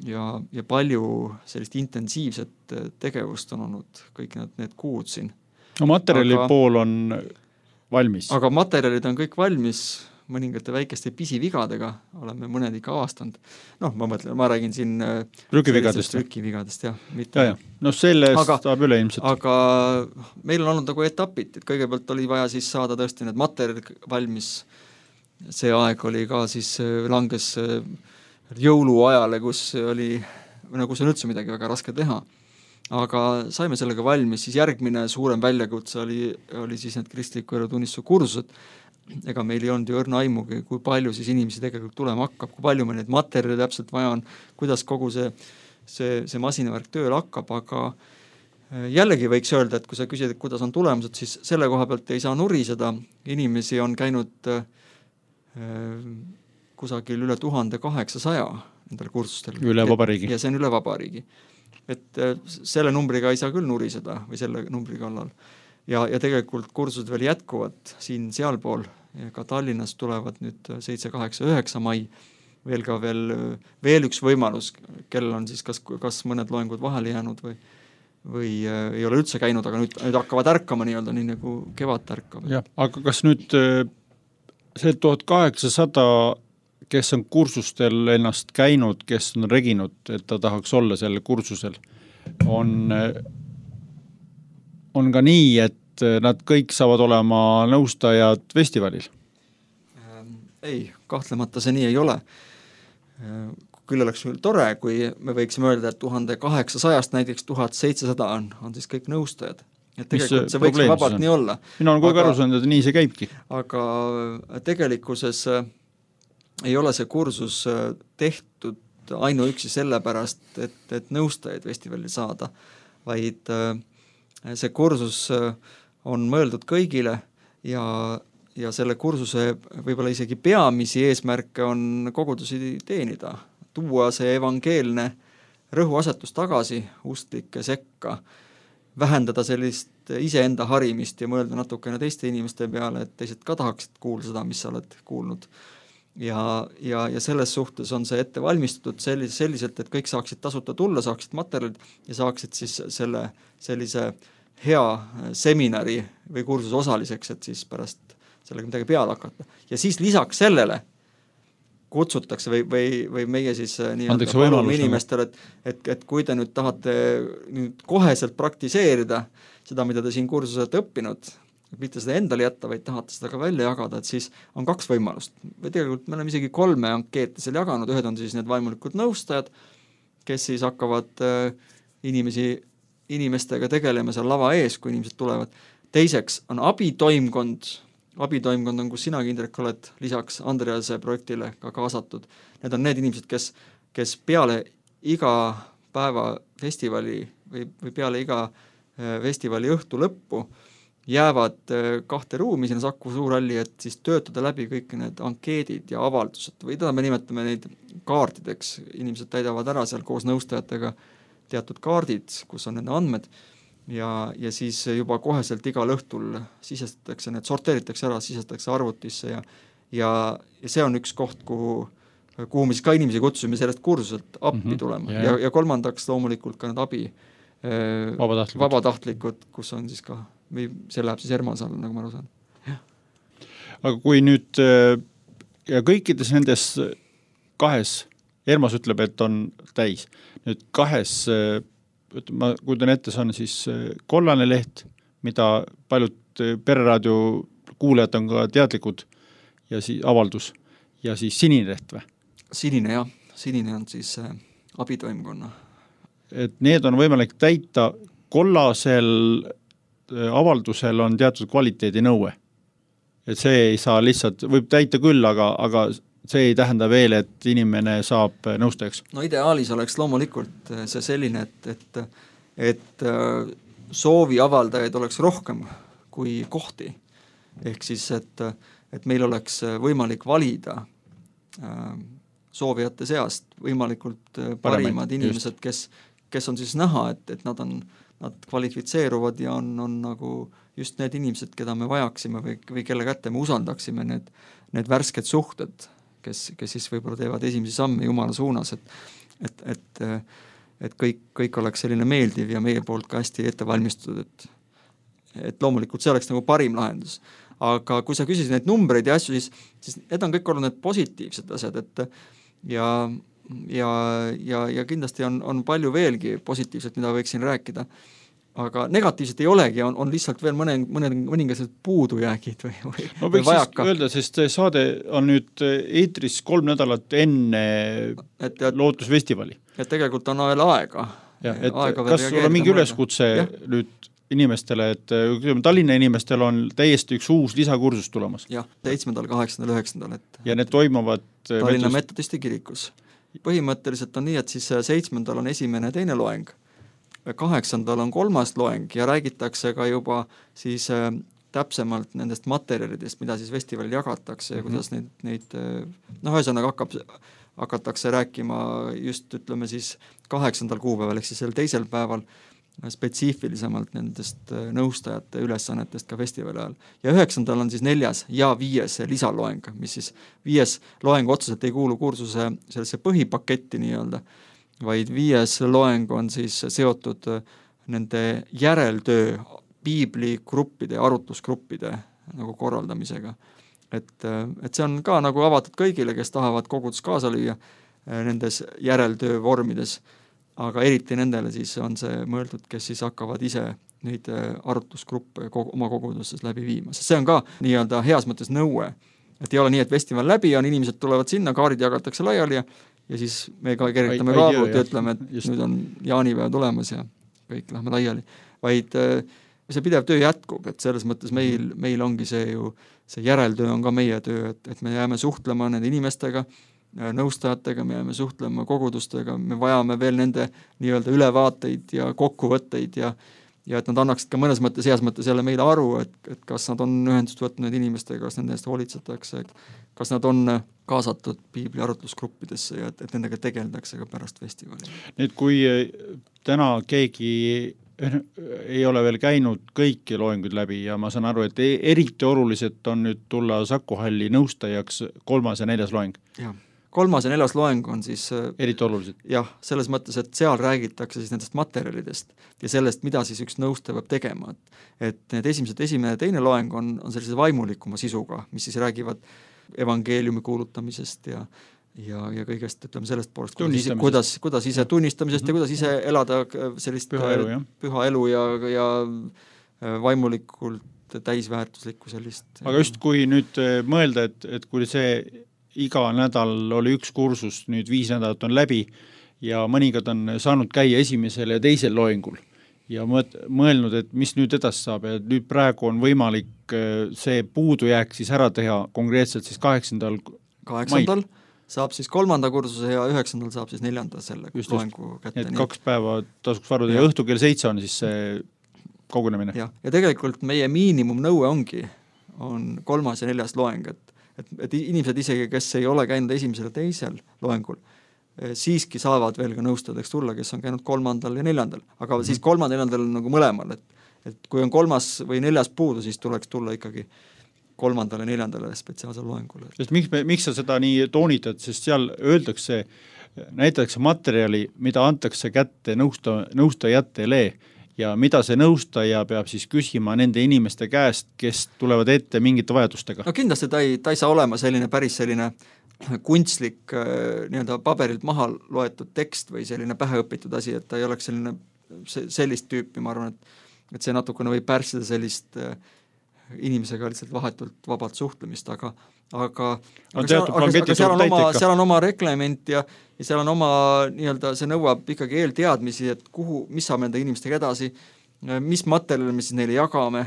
ja, ja palju sellist intensiivset tegevust on olnud kõik need, need kuud siin. No materjali aga, pool on valmis. Aga materjalid on kõik valmis, mõningate väikeste pisivigadega oleme mõned ikka avastanud. Noh, ma mõtlen, ma räägin siin trükivigadest. Trükivigadest, jah. Ja, ja. No sellest aga, saab üle ilmselt. Aga meil on olnud nagu etapid, et kõigepealt oli vaja siis saada tõesti need materjalid valmis. See aeg oli ka siis langes jõuluajale, kus oli, nagu see on üldse midagi väga raske teha. Aga saime sellega valmis, siis järgmine suurem väljakutse oli, oli siis need kristliku elu tunnistuse kursused. Ega meil ei olnud ju õrna aimugi, kui palju siis inimesi tegelikult tulema hakkab, kui palju meil neid materjali täpselt vaja on, kuidas kogu see, see, see masinavärk tööl hakkab, aga jällegi võiks öelda, et kui sa küsid, et kuidas on tulemused, siis selle koha pealt ei saa nuriseda. Inimesi on käinud äh, kusagil üle tuhande kaheksasaja nendel kursustel. Üle vabariigi. Ja see on üle vabariigi. Et äh, selle numbriga ei saa küll nuriseda või selle numbri kallal. Ja, ja tegelikult kursused veel jätkuvad siin sealpool. Ja ka Tallinnas tulevad nüüd seitse, kaheksa, üheksa mai veel ka veel, veel üks võimalus, kellel on siis kas, kas mõned loengud vahele jäänud või, või äh, ei ole üldse käinud, aga nüüd, nüüd hakkavad ärkama nii-öelda, nii nagu kevad ärkab. Ja, aga kas nüüd see tuhat kaheksasada, kes on kursustel ennast käinud, kes on reginud, et ta tahaks olla selle kursusel, on, on ka nii, et nad kõik saavad olema nõustajad festivalil? Ei, kahtlemata see nii ei ole. Küll oleks tore, kui me võiksime öelda, et tuhande kaheksasajast näiteks tuhat seitsesada on, on siis kõik nõustajad. Et tegelikult see võiks vabalt nii olla. Mina olen kogu aru saanud, et nii see käibki. Aga tegelikkuses ei ole see kursus tehtud ainuüksi sellepärast, et, et nõustajaid festivalil saada, vaid see kursus on mõeldud kõigile ja, ja selle kursuse võib-olla isegi peamisi eesmärke on kogudusi teenida, tuua see evangeelne rõhuasetus tagasi usklike sekka, vähendada sellist iseenda harimist ja mõelda natukene teiste inimeste peale, et teised ka tahaksid kuulda seda, mis sa oled kuulnud. Ja, ja, ja selles suhtes on see ette valmistatud sellis, selliselt, et kõik saaksid tasuta tulla, saaksid materjalid ja saaksid siis selle sellise hea seminari või kursuse osaliseks, et siis pärast sellega midagi peale hakata. Ja siis lisaks sellele kutsutakse või, või, või meie siis nii-öelda palume inimestele, et, et, et kui te nüüd tahate nüüd koheselt praktiseerida seda, mida te siin kursuselt õppinud, mitte seda endale jätta, vaid tahate seda ka välja jagada, et siis on kaks võimalust. Või tegelikult me oleme isegi kolme ankeete seal jaganud, ühed on siis need vaimulikud nõustajad, kes siis hakkavad inimesi, inimestega tegelema seal lava ees, kui inimesed tulevad. Teiseks on abitoimkond, abitoimkond on, kus sina, Indrek, oled lisaks Andrease projektile ka kaasatud. Need on need inimesed, kes, kes peale iga päeva festivali või, või peale iga festivali õhtu lõppu jäävad kahte ruumi sinna Saku Suurhalli, et siis töötada läbi kõik need ankeedid ja avaldused või teda me nimetame neid kaardideks. Inimesed täidavad ära seal koos nõustajatega teatud kaardid, kus on nende andmed ja, ja siis juba koheselt igal õhtul sisestatakse, need sorteeritakse ära, sisestatakse arvutisse ja, ja, ja see on üks koht, kuhu, kuhu me siis ka inimesi kutsume sellest kursuselt appi mm-hmm. tulema yeah. ja, ja kolmandaks loomulikult ka need abi vabatahtlikud. vabatahtlikud, kus on siis ka, või see läheb siis Ermas alla, nagu ma aru saan. Aga kui nüüd ja kõikides nendes kahes, Ermas ütleb, et on täis, nüüd kahes ma kujutan ette, see on siis kollane leht, mida paljud pereraadio kuulajad on ka teadlikud ja siis avaldus ja siis sinine leht või? Sinine jah, sinine on siis äh, abitoimkonna. Et need on võimalik täita, kollasel äh, avaldusel on teatud kvaliteedi nõue. Et see ei saa lihtsalt, võib täita küll, aga, aga see ei tähenda veel, et inimene saab nõustajaks. No ideaalis oleks loomulikult see selline, et, et, et soovi avaldajaid oleks rohkem kui kohti. Ehk siis, et, et meil oleks võimalik valida soovijate seast võimalikult parimad inimesed, kes, kes on siis näha, et, et nad, on, nad kvalifitseeruvad ja on, on nagu just need inimesed, keda me vajaksime või, või kelle kätte me usaldaksime need, need värsked suhted, kes, kes siis võib-olla teevad esimesi samme Jumala suunas, et, et, et, et kõik, kõik oleks selline meeldiv ja meie poolt ka hästi ette valmistatud, et, et loomulikult see oleks nagu parim lahendus. Aga kui sa küsisid neid numbreid ja asju, siis, siis need on kõik olnud need positiivsed asjad, et ja, ja, ja, ja kindlasti on, on palju veelgi positiivset, mida võiksin rääkida. Aga negatiivselt ei olegi, on, on lihtsalt veel mõne, mõne, mõningased puudujäägid või, või, no, või vajaka. Öelda, sest saade on nüüd eetris kolm nädalat enne et, et, lootusfestivali. Et tegelikult on veel aega. Ja, et aega kas sul on mingi üleskutse ja? Nüüd inimestele, et Tallinna inimestel on täiesti üks uus lisakursus tulemas? Jah, seitsmendal, kaheksandal, üheksandal. Et ja need toimuvad Tallinna metodisti kirikus. Põhimõtteliselt on nii, et siis seitsmendal on esimene teine loeng. Kaheksandal on kolmas loeng ja räägitakse ka juba siis äh, täpsemalt nendest materjalidest, mida siis festivalil jagatakse ja kuidas neid, neid noh, ühesõnaga hakkab, hakatakse rääkima just ütleme siis kaheksandal kuupäeval, ehk siis sel teisel päeval spetsiifilisemalt nendest nõustajate ülesannetest ka festivali ajal. Ja üheksandal on siis neljas ja viies lisaloeng, mis siis viies loeng otseselt ei kuulu kursuse sellesse põhipaketti nii-öelda, vaid viies loeng on siis seotud nende järeltöö piibligruppide ja arutlusgruppide nagu korraldamisega. Et, et see on ka nagu avatud kõigile, kes tahavad kogudus kaasa lüüa nendes järeltöö vormides, aga eriti nendele siis on see mõeldud, kes siis hakkavad ise neid arutlusgruppe oma kogudustes läbi viima. Sest see on ka nii-öelda heas mõttes nõue, et ei ole nii, et festival läbi on, inimesed tulevad sinna, kaarid jagatakse laiali ja ja siis me ka keritame kaabut ja ütleme, et just. Nüüd on jaanipäev tulemas ja kõik lähme laiali. Vaid see pidev töö jätkub, et selles mõttes meil, meil ongi see ju, see järeltöö on ka meie töö, et, et me jääme suhtlema nende inimestega, nõustajatega, me jääme suhtlema kogudustega, me vajame veel nende nii-öelda ülevaateid ja kokkuvõtteid ja ja et nad annaksid ka mõnes mõttes, heas mõttes jälle meile aru, et, et kas nad on ühendust võtnud inimestega, kas nende eest hoolitsetakse, kas nad on kaasatud piibli arutlusgruppidesse ja et, et nendega tegeldakse ka pärast festivali. Nüüd, kui täna keegi ei ole veel käinud kõiki loenguid läbi ja ma saan aru, et eriti oluliselt on nüüd tulla Saku Halli nõustajaks kolmas ja neljas loeng. Ja. kolmas ja neljas loeng on siis eriti olulised. Jah, selles mõttes, et seal räägitakse siis nendest materjalidest ja sellest, mida siis üks nõustaja peab tegema. Et, et need esimesed, esimene ja teine loeng on, on sellise vaimulikuma sisuga, mis siis räägivad evangeeliumi kuulutamisest ja ja, ja kõigest, ütleme sellest poolest, kuidas, kuidas, kuidas ise tunnistamisest mm-hmm. ja kuidas ise elada sellist püha elu, jah. püha elu ja, ja vaimulikult täisväärtuslikku sellist. Aga just kui nüüd mõelda, et, et kui see iga nädal oli üks kursus, nüüd viis nädalat on läbi ja mõningad on saanud käia esimesel ja teisel loengul ja mõelnud, et mis nüüd edasi saab ja nüüd praegu on võimalik see puudujääk siis ära teha konkreetselt siis kaheksandal kaheksandal saab siis kolmanda kursuse ja üheksandal saab siis neljanda selle just, loengu kätte. Et kaks päeva tasuks varuda ja, ja õhtu kell seitse on siis see kogunemine. Ja, ja tegelikult meie miinimumnõue ongi, on kolmas ja neljas loeng, et, et, et inimesed isegi, kes ei ole käinud esimesel ja teisel loengul, siiski saavad veel ka nõustadeks tulla, kes on käinud kolmandal ja neljandal, aga mm-hmm. siis kolmandal ja neljandal on nagu mõlemal, et, et kui on kolmas või neljas puudu, siis tuleks tulla ikkagi kolmandale ja neljandale spetsiaalsel loengule. Sest miks, miks sa seda nii toonitad, sest seal öeldakse, näitakse materjali, mida antakse kätte nõusta, nõustajatele ja mida see nõustaja peab siis küsima nende inimeste käest, kes tulevad ette mingite vajadustega. No kindlasti ta ei, ta ei saa olema selline päris selline kunstlik nii-öelda paberilt maha loetud tekst või selline päheõpitud asi, et ta ei oleks selline sellist tüüpi, ma arvan, et, et see natukene võib pärssida sellist inimesega lihtsalt vahetult vabalt suhtlemist, aga aga, aga, seal, aga, aga seal, on oma, seal on oma reglement ja, ja seal on oma nii-öelda, see nõuab ikkagi eelteadmisi, et kuhu, mis saab nende inimestega edasi, mis materjali me siis neile jagame,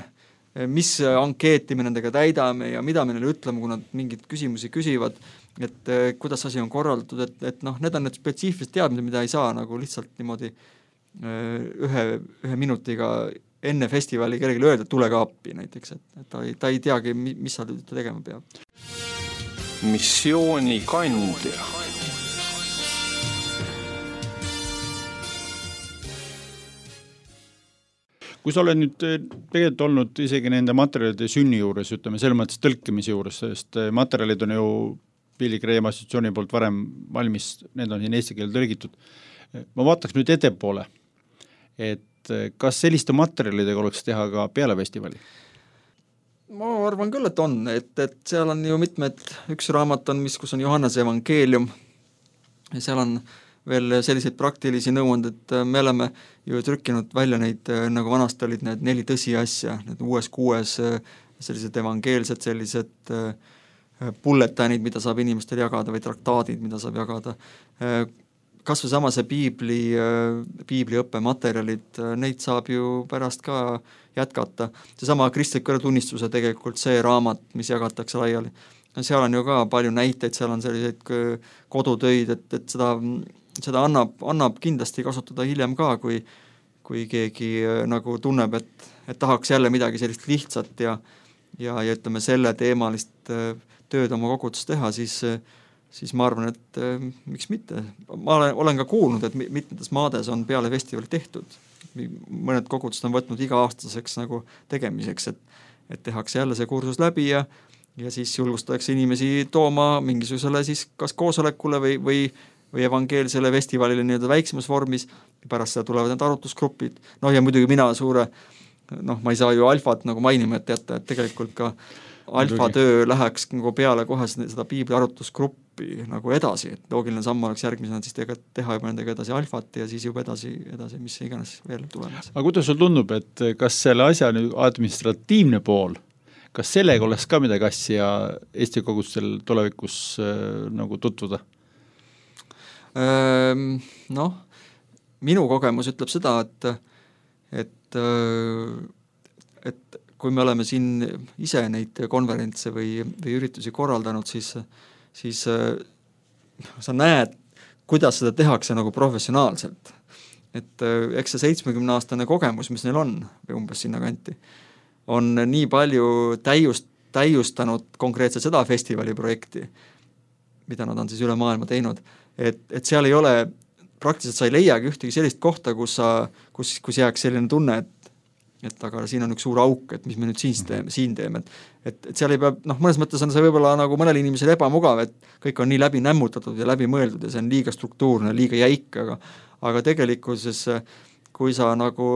mis ankeeti me nendega täidame ja mida me neile ütleme, kui nad mingeid küsimusi küsivad, et kuidas asi on korraldatud, et, et noh, need on need spetsiifilised teadmised, mida ei saa nagu lihtsalt niimoodi ühe, ühe minutiga enne festivali kellelegi öelda, tule ka appi näiteks, et, et ta, ei, ta ei teagi, mis sa tegema peab. Missiooni kandja. Kui sa oled nüüd tegelikult olnud isegi nende materjalide sünni juures, ütleme, selles mõttes tõlkimise juures, sest materjalid on ju Pilli Kreema assotsiatsiooni poolt varem valmis, need on siin eesti keele tõlgitud. Ma vaataks nüüd ettepoole, et kas selliste materjalidega oleks teha ka peale festivali? Ma arvan küll, et on, et, et seal on ju mitmed, üks raamat on, mis, kus on Johannese evangeelium ja seal on veel selliseid praktilisi nõuanded, me oleme ju trükkinud välja neid, nagu vanasti olid need neli tõsiasja, need uues kuues sellised evangeelsed, sellised bulletinid, mida saab inimestel jagada või traktaadid, mida saab jagada. Kas või sama see piibli, piibliõppe materjalid, neid saab ju pärast ka jätkata. See sama kristliku tunnistuse tegelikult see raamat, mis jagatakse laiali. Seal on ju ka palju näiteid, seal on selliseid kodutöid, et, et seda, seda annab, annab kindlasti kasutada hiljem ka, kui, kui keegi nagu tunneb, et, et tahaks jälle midagi sellist lihtsat ja, ja, ja ütleme selle teemalist tööd oma koguduses teha, siis siis ma arvan, et äh, miks mitte. Ma olen, olen ka kuulnud, et mitmetes maades on peale festivali tehtud. Mõned kogudused on võtnud iga-aastaseks nagu tegemiseks, et, et tehakse jälle see kursus läbi ja, ja siis julgustatakse inimesi tooma mingisugusele siis kas koosolekule või, või, või evangeelsele festivalile nii-öelda väiksemas vormis. Pärast seda tulevad need arvutusgrupid. No ja muidugi mina suure, noh, ma ei saa ju alfat nagu mainima, et jätta, et tegelikult ka alfatöö läheks nagu peale kohe seda piibli arvutusgruppi nagu edasi, et loogiline samm oleks järgmisena siis teha juba nendega edasi alfat ja siis juba edasi, edasi mis iganes veel tulemas. Aga kuidas sul tundub, et kas selle asja nüüd administratiivne pool, kas sellega oleks ka midagi asja Eesti kogudustel tulevikus äh, nagu tutvuda? Noh, minu kogemus ütleb seda, et et, et kui me oleme siin ise neid konverentse või, või üritusi korraldanud, siis, siis sa näed, kuidas seda tehakse nagu professionaalselt. Et eks see seitsmekümne-aastane kogemus, mis neil on, või umbes sinna kanti, on nii palju täiust, täiustanud konkreetselt seda festivali projekti, mida nad on siis üle maailma teinud, et, et seal ei ole, praktiliselt sa ei leiagi ühtegi sellist kohta, kus, sa, kus, kus jääks selline tunne, et et aga siin on üks suur auk, et mis me nüüd siin teeme, siin teeme, et, et, et seal ei pea, noh, mõnes mõttes on see võib-olla nagu mõnel inimesel ebamugav, et kõik on nii läbi nämmutatud ja läbi mõeldud ja see on liiga struktuurne, liiga jäik, aga, aga tegelikkuses, kui sa nagu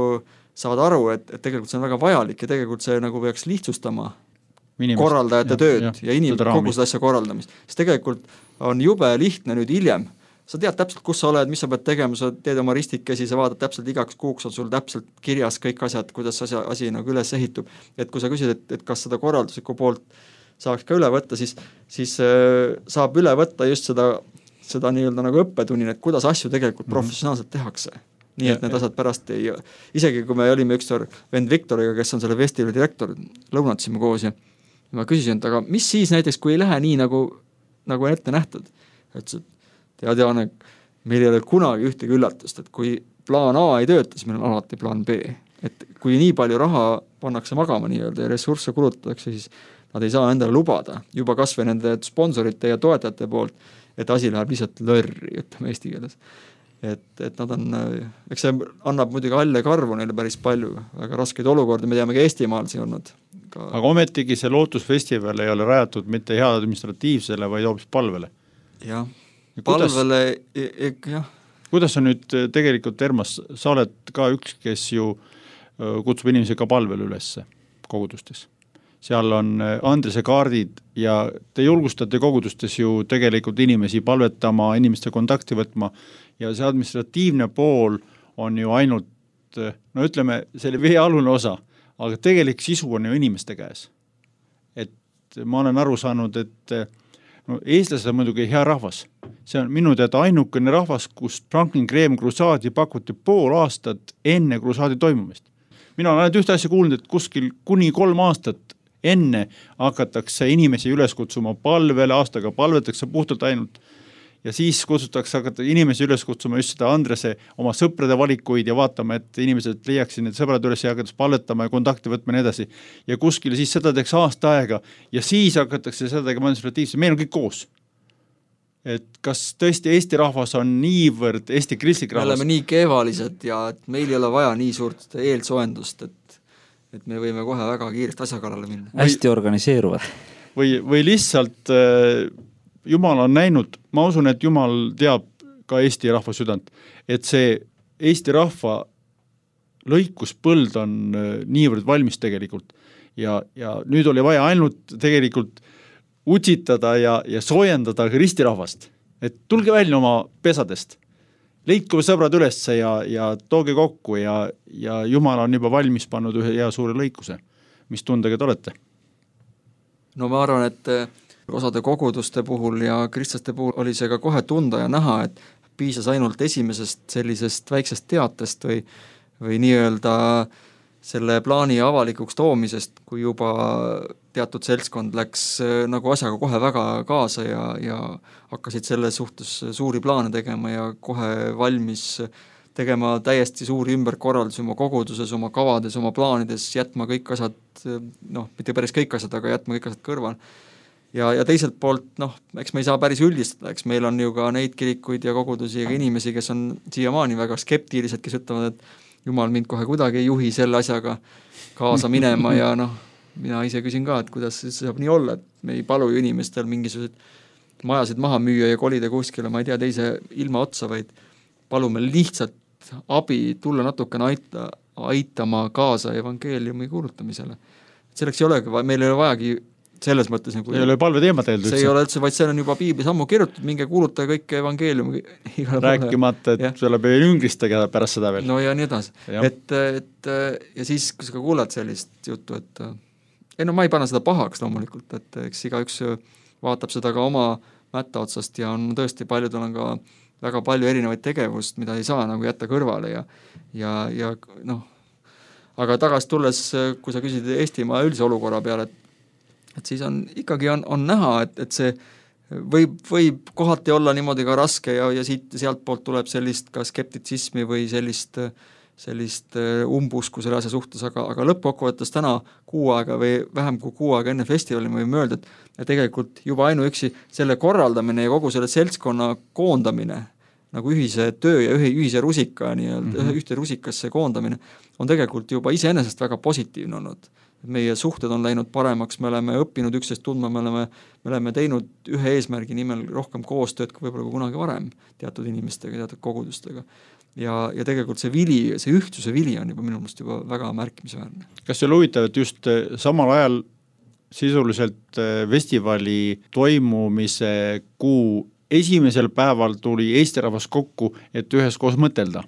saad aru, et, et tegelikult see on väga vajalik ja tegelikult see nagu peaks lihtsustama Inimest, korraldajate ja, tööd ja, ja inimene kogu seda asja korraldamist. Sest tegelikult on jube lihtne nüüd hiljem. Sa tead täpselt, kus sa oled, mis sa pead tegema, sa teed oma ristikesi, sa vaatad täpselt igaks kuuks, on sul täpselt kirjas kõik asjad, kuidas asi, asi nagu üles ehitub. Et kui sa küsid, et, et kas seda korralduslikku poolt saaks ka üle võtta, siis, siis äh, saab üle võtta just seda, seda nii-öelda nagu õppetunnina, et kuidas asju tegelikult mm-hmm. professionaalselt tehakse. Nii et ja, need ja. asjad pärast ei, isegi kui me olime ükskord vend Viktoriga, kes on selle festivali direktor, lõunatasime koos ja ma küsisin, et aga mis siis näiteks, kui ei lähe nii nagu, nagu ette nähtud? Et see, tead Jaane, meil ei ole kunagi ühtegi üllatust, et kui plaan A ei tööta, siis meil on alati plaan B. Et kui nii palju raha pannakse magama nii-öelda ja ressursse kulutatakse, siis nad ei saa endale lubada juba kas või nende sponsorite ja toetajate poolt, et asi läheb lihtsalt lörri, ütleme eesti keeles. Et, et nad on, eks see annab muidugi halle karvu neile päris palju, väga raskeid olukordi, me teame ka Eestimaal siin olnud. Ka... Aga ometigi see Lootusfestival ei ole rajatud mitte hea administratiivsele, vaid hoopis palvele. Jah, ja palvele, e, e, jah. Kuidas on nüüd tegelikult, Ermas, sa oled ka üks, kes ju kutsub inimesi ka palvele ülesse kogudustes. Seal on Andrese kaardid ja te julgustate kogudustes ju tegelikult inimesi palvetama, inimeste kontakti võtma ja see administratiivne pool on ju ainult, no ütleme, selle veealune osa, aga tegelik sisu on ju inimeste käes. Et ma olen aru saanud, et no, eestlased on muidugi hea rahvas. See on minu teada ainukene rahvas, kus Franklin Graham krusaadi pakuti pool aastat enne krusaadi toimumist. Mina olen ainult ühte asja kuulnud, et kuskil kuni kolm aastat enne hakatakse inimesi üles kutsuma palvele, aastaga palvetakse puhtalt ainult ja siis kutsutakse hakata inimesi üles kutsuma just seda Andrese oma sõprade valikuid ja vaatama, et inimesed leiaksid need sõbrad üles ja hakatakse palvetama ja kontakti võtma ja nii edasi. Ja kuskil siis seda teeks aasta aega ja siis hakatakse seda tegema administratiivselt. Meil on kõik koos. Et kas tõesti Eesti rahvas on niivõrd Eesti kristlik rahvas? Me oleme nii kevalised ja et meil ei ole vaja nii suurt eelsoendust, et, et me võime kohe väga kiiresti asja kallale minna. Hästi organiseeruvad. Või, või lihtsalt äh, Jumal on näinud, ma usun, et Jumal teab ka Eesti rahva südant, et see Eesti rahva lõikuspõld on äh, niivõrd valmis tegelikult ja, ja nüüd oli vaja ainult tegelikult utsitada ja, ja soojendada ristirahvast, et tulge välja oma pesadest, leidku sõbrad ülesse ja, ja tooge kokku ja, ja Jumal on juba valmis pannud ühe hea suure lõikuse. Mis tundega te olete? No ma arvan, et osade koguduste puhul ja kristlaste puhul oli see ka kohe tunda ja näha, et piisas ainult esimesest sellisest väiksest teatest või, või nii-öelda selle plaani avalikuks toomisest, kui juba teatud seltskond läks nagu asjaga kohe väga kaasa ja, ja hakkasid selle suhtes suuri plaane tegema ja kohe valmis tegema täiesti suuri ümberkorraldusi oma koguduses, oma kavades, oma plaanides, jätma kõik asjad, noh, mitte päris kõik asjad, aga jätma kõik asjad kõrval. Ja, ja teiselt poolt, noh, eks me ei saa päris üldistada, eks meil on ju ka neid kirikuid ja kogudusi ja inimesi, kes on siiamaani väga skeptilised, kes ütlevad, et Jumal mind kohe kuidagi ei juhi selle asjaga kaasa minema ja noh, mina ise küsin ka, et kuidas see saab nii olla, et me ei palu ju inimestel mingisugused majasid maha müüa ja kolida kuskile, ma ei tea, teise ilma otsa, vaid palume lihtsalt abi tulla natukene aita, aitama kaasa evangeeliumi kuulutamisele. Selleks ei olegi, meil ei ole vajagi selles mõttes nagu ei ole palve teema teeld üldse. See ei ole üldse, vaid see on juba piiblis ammu kirjutatud, minge kuuluta kõik evangeeliumi. Rääkimata, et ja. Tuleb üngristega pärast seda veel. No ja nii edasi. Et, et, ja siis, kui sa ka kuulad sellist juttu, et ei no ma ei pane seda pahaks loomulikult, et eks iga üks vaatab seda ka oma mätta otsast ja on tõesti paljudel on ka väga palju erinevaid tegevust, mida ei saa nagu jätta kõrvale ja, ja, ja noh, aga tagasi tulles, kui sa küsid Eestimaa üldise olukorra peale, et et siis on, ikkagi on, on näha, et, et see võib, võib kohati olla niimoodi ka raske ja, ja siit ja sealt poolt tuleb sellist ka skeptitsismi või sellist, sellist umbusku selle asja suhtes, aga, aga lõppkokkuvõttes täna kuu aega või vähem kui kuu aega enne festivali me võime öelda, et tegelikult juba ainuüksi selle korraldamine ja kogu selle seltskonna koondamine nagu ühise töö ja ühe ühise rusika nii-öelda mm -hmm. ühte rusikasse koondamine on tegelikult juba iseenesest väga positiivne olnud. Meie suhted on läinud paremaks, me oleme õppinud üksteist tundma, me oleme, me oleme teinud ühe eesmärgi nimel rohkem koostööd kui võib-olla kui kunagi varem teatud inimestega, teatud kogudustega. Ja, ja tegelikult see vili, see ühtsuse vili on juba minu meelest juba väga märkimisväärne. Kas see huvitav, et just samal ajal sisuliselt festivali toimumise kuu esimesel päeval tuli Eesti rahvas kokku, et üheskoos mõtelda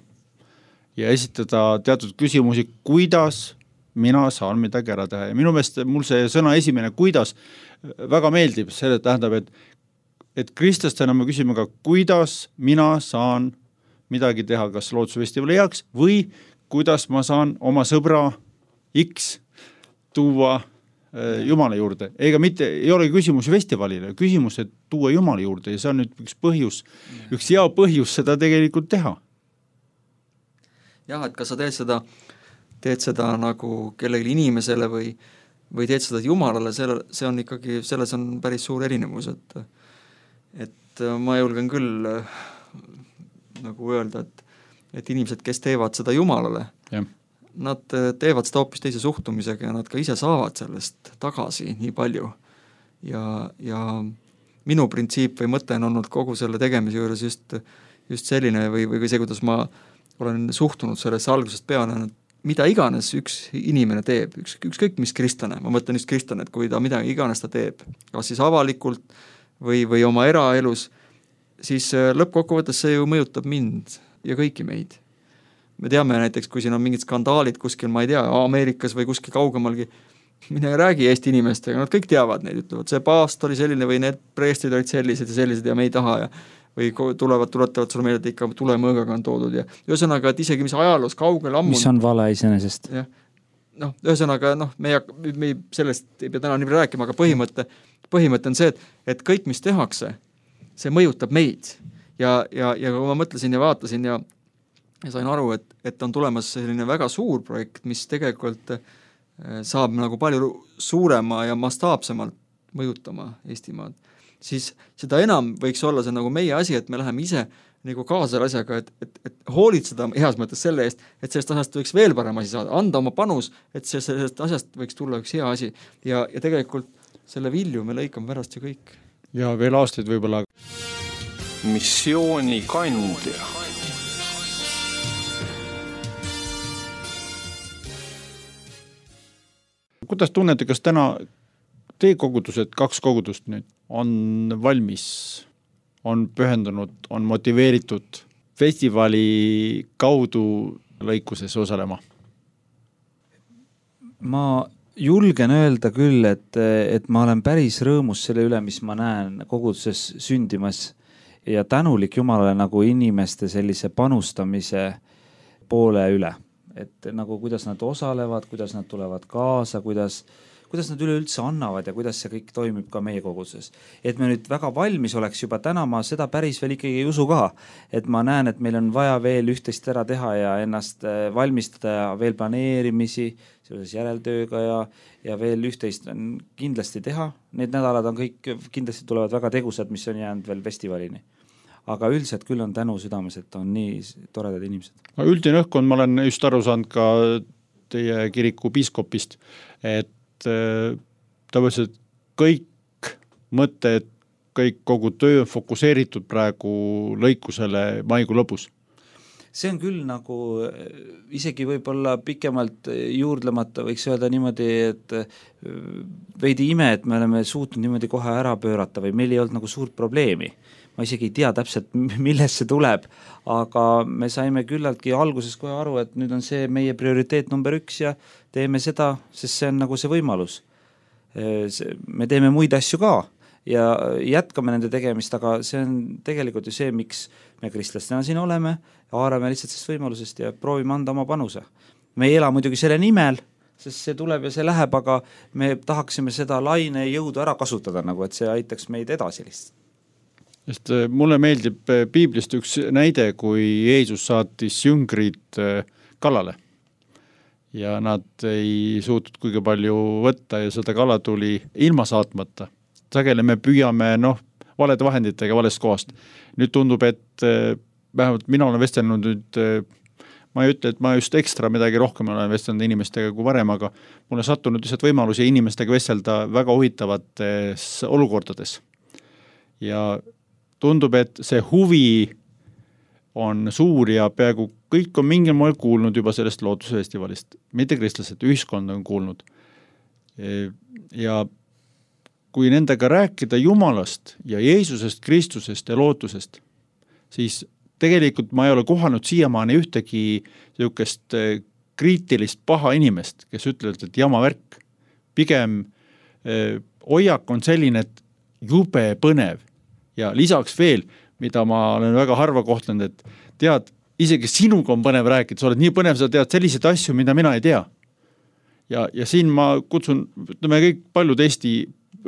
ja esitada teatud küsimusi, kuidas mina saan midagi ära teha. Ja minu meelest mul see sõna esimene, kuidas, väga meeldib. See tähendab, et, et kristlastena me küsime ka, kuidas mina saan midagi teha, kas Loodusfestivali heaks või kuidas ma saan oma sõbra X tuua Jumala juurde. Ega mitte, ei ole küsimus festivalile, küsimus, et tuua Jumala juurde ja see on nüüd üks põhjus, üks hea põhjus seda tegelikult teha. Jah, et kas sa teed seda, teed seda nagu kellegi inimesele või, või teed seda Jumalale, selle, see on ikkagi, selles on päris suur erinevus, et, et ma julgen küll nagu öelda, et, et inimesed, kes teevad seda Jumalale, ja. Nad teevad seda hoopis teise suhtumisega ja nad ka ise saavad sellest tagasi nii palju. Ja, ja minu printsiip või mõte on olnud kogu selle tegemise juures just, just selline või, või see, kuidas ma olen suhtunud sellesse algusest peale, mida iganes üks inimene teeb, üks, ükskõik mis kristlane, ma mõtlen just kristlane, et kui ta midagi iganes ta teeb, kas siis avalikult või, või oma eraelus, siis lõppkokkuvõttes see ju mõjutab mind ja kõiki meid. Me teame näiteks, kui siin on mingid skandaalid kuskil, ma ei tea, Ameerikas või kuskil kaugemalgi, mine räägi Eesti inimestega, nad kõik teavad neid, ütlevad, see paast oli selline või need preestrid olid sellised ja sellised ja me ei taha ja või tulevad, tuletavad sulle meelde, et ikka tulemõõgaga on toodud ja ühesõnaga, et isegi mis ajaloos kaugel ammu mis on vale iseenesest. Noh, ühesõnaga, noh, me, me sellest ei pea täna nii rääkima, aga põhimõte, põhimõte on see, et, et kõik, mis tehakse, see mõjutab meid ja, ja, ja kui ma mõtlesin ja vaatasin ja ja sain aru, et, et on tulemas selline väga suur projekt, mis tegelikult saab nagu palju suurema ja mastaapsemalt mõjutama Eestimaad, siis seda enam võiks olla see nagu meie asi, et me läheme ise nagu kaasa selle asjaga, et, et, et hoolitseda heas mõttes selle eest, et sellest asjast võiks veel parem asi saada, anda oma panus, et see, sellest asjast võiks tulla üks hea asi ja, ja tegelikult selle vilju me lõikame pärast ju kõik. Ja veel aastaid võib-olla. Missiooni kandja. Kuidas tunnete, kas täna teie kogudused, kaks kogudust nüüd, on valmis, on pühendunud, on motiveeritud festivali kaudu lõikuses osalema? Ma julgen öelda küll, et, et ma olen päris rõõmus selle üle, mis ma näen koguduses sündimas ja tänulik Jumalale nagu inimeste sellise panustamise poole üle. Et nagu kuidas nad osalevad, kuidas nad tulevad kaasa, kuidas, kuidas nad üleüldse annavad ja kuidas see kõik toimib ka meie koguduses. Et me nüüd väga valmis oleks juba täna, ma seda päris veel ikkagi ei usu ka, et ma näen, et meil on vaja veel üht-teist ära teha ja ennast valmistada ja veel planeerimisi seoses järeltööga ja, ja veel üht-teist on kindlasti teha. Need nädalad on kõik, kindlasti tulevad väga tegusad, mis on jäänud veel festivalini. Aga üldiselt küll on tänu südames, et on nii toredad inimesed. Üldine õhkkond, ma olen just aru saanud ka teie kiriku piiskopist, et ta võttes, et kõik mõtted, kõik kogu töö on fokuseeritud praegu lõikusele maikuu lõpus. See on küll nagu isegi võib-olla pikemalt juurdlemata võiks öelda niimoodi, et veidi ime, et me oleme suutnud niimoodi kohe ära pöörata või meil ei olnud nagu suurt probleemi. Ma isegi ei tea täpselt, millest see tuleb, aga me saime küllaltki alguses kohe aru, et nüüd on see meie prioriteet number üks ja teeme seda, sest see on nagu see võimalus. Me teeme muid asju ka ja jätkame nende tegemist, aga see on tegelikult ju see, miks me kristlastena siin oleme, haarame lihtsalt sellest võimalusest ja proovime anda oma panuse. Me ei ela muidugi selle nimel, sest see tuleb ja see läheb, aga me tahaksime seda laine jõudu ära kasutada, nagu et see aitaks meid edasi lihtsalt. Sest mulle meeldib piiblist üks näide, kui Jeesus saatis jüngrid kalale ja nad ei suutnud kuigi palju võtta ja seda kala tuli ilma saatmata. Sageli me püüame noh, valede vahenditega valest kohast. Nüüd tundub, et vähemalt mina olen vestelnud nüüd, ma ei ütle, et ma just ekstra midagi rohkem olen vestelnud inimestega kui varem, aga mul on sattunud lihtsalt võimalusi inimestega vestelda väga huvitavates olukordades. Ja tundub, et see huvi on suur ja peaaegu kõik on mingil moel kuulnud juba sellest lootusfestivalist. Mitte kristlased, ühiskond on kuulnud. Ja kui nendega rääkida Jumalast ja Jeesusest, Kristusest ja lootusest, siis tegelikult ma ei ole kohanud siiamaani ühtegi niisugust kriitilist paha inimest, kes ütlevad, et jama värk. Pigem eh, hoiak on selline, et jube põnev ja lisaks veel, mida ma olen väga harva kohtlenud, et tead, isegi sinuga on põnev rääkida, sa oled nii põnev, sa tead selliseid asju, mida mina ei tea. Ja, ja siin ma kutsun, ütleme kõik paljud Eesti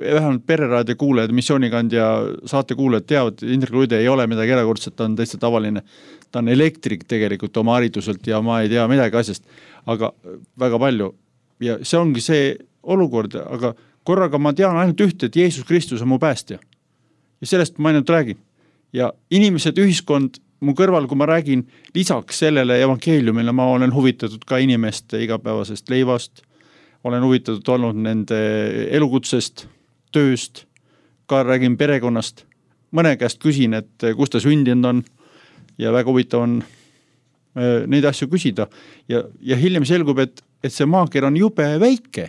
vähemalt pereraadio kuulajad, missioonikand ja saate kuulajad teavad, Indrek Luide ei ole midagi erakordset, ta on täitsa tavaline. Ta on elektrik tegelikult oma hariduselt ja ma ei tea midagi asjast, aga väga palju. Ja see ongi see olukord, aga korraga ma tean ainult ühte, et Jeesus Kristus on mu päästja. Ja sellest ma ainult räägin. Ja inimesed, ühiskond mu kõrval, kui ma räägin lisaks sellele evangeeliumile, ma olen huvitatud ka inimeste igapäevasest leivast, olen huvitatud olnud nende elukutsest, tööst, ka räägin perekonnast. Mõne käest küsin, et kus ta sündinud on ja väga huvitav on neid asju küsida. Ja, ja hiljem selgub, et, et see maaker on jube väike.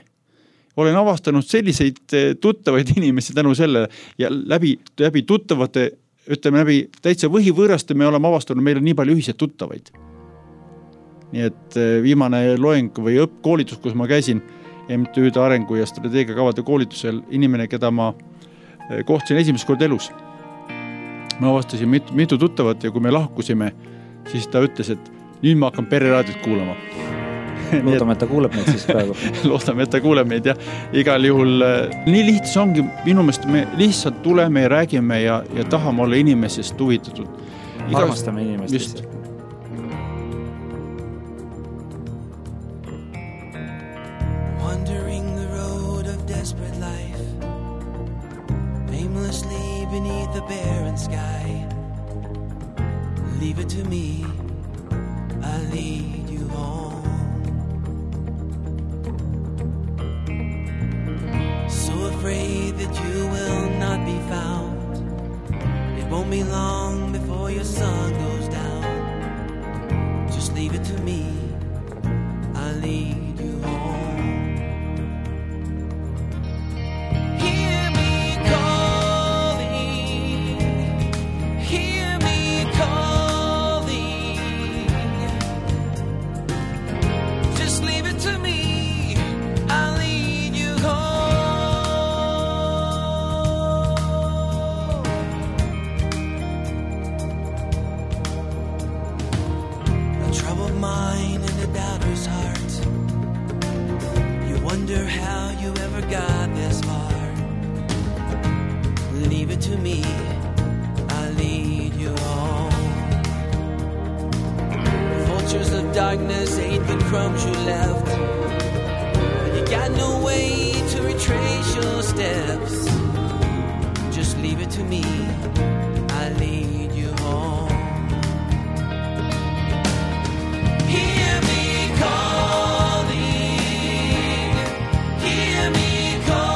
Olen avastanud selliseid tuttavaid inimesi tänu selle ja läbi, läbi tuttavate, ütleme läbi täitsa võhivõõraste me oleme avastanud, meil on nii palju ühiseid tuttavaid. Nii et viimane loeng või õppkoolitus, kus ma käisin M T Ü-de arengu ja strateegiakavade koolitusel, inimene, keda ma kohtasin esimest kord elus. Ma avastasin mitu, mitu tuttavat ja kui me lahkusime, siis ta ütles, et nüüd ma hakkan pereraadiot kuulama. Loodame, et ta kuuleb meid siis praegu. Loodame, et ta kuuleb meid ja igal juhul nii lihtsas ongi, minu meelest me lihtsalt tuleme ja räägime ja, ja tahame olla inimesest huvitatud. Igas... Armastame inimestest. Just. Wandering the road of desperate life, aimlessly beneath the barren sky. Leave it to me, I'll lead you home. So afraid that you will not be found. It won't be long before your sun goes down. Just leave it to me, I'll lead you home. To me, I'll lead you home. Vultures of darkness ate the crumbs you left, but you got no way to retrace your steps. Just leave it to me, I'll lead you home. Hear me calling, hear me calling.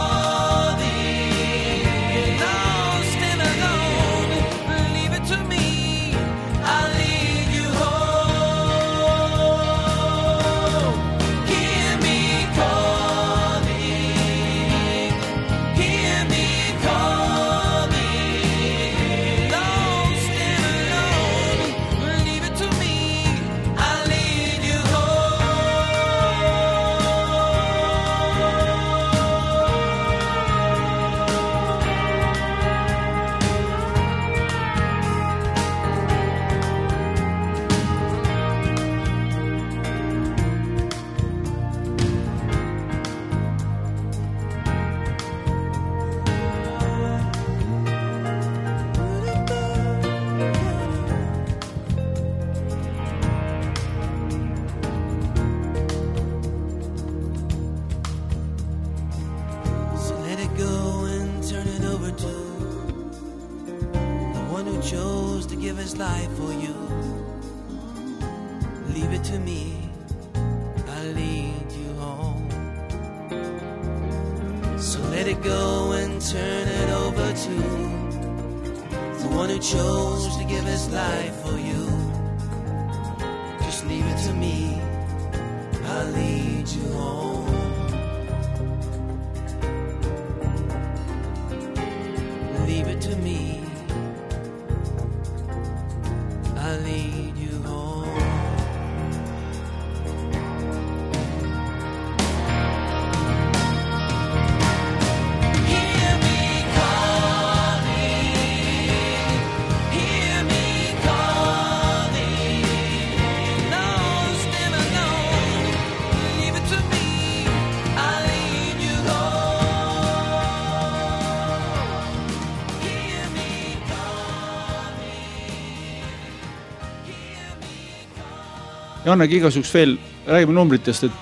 Hear give his life for you. Leave it to me, I'll lead you home. So let it go and turn it over to the one who chose to give his life for you. Just leave it to me, I'll lead you home. Leave it to me, I'll lead you home. Hear me calling, hear me calling, lost and unknown. Leave it to me, I'll lead you home. Hear me calling, hear me calling. Jannegi igasuks veel, räägime numbritest, et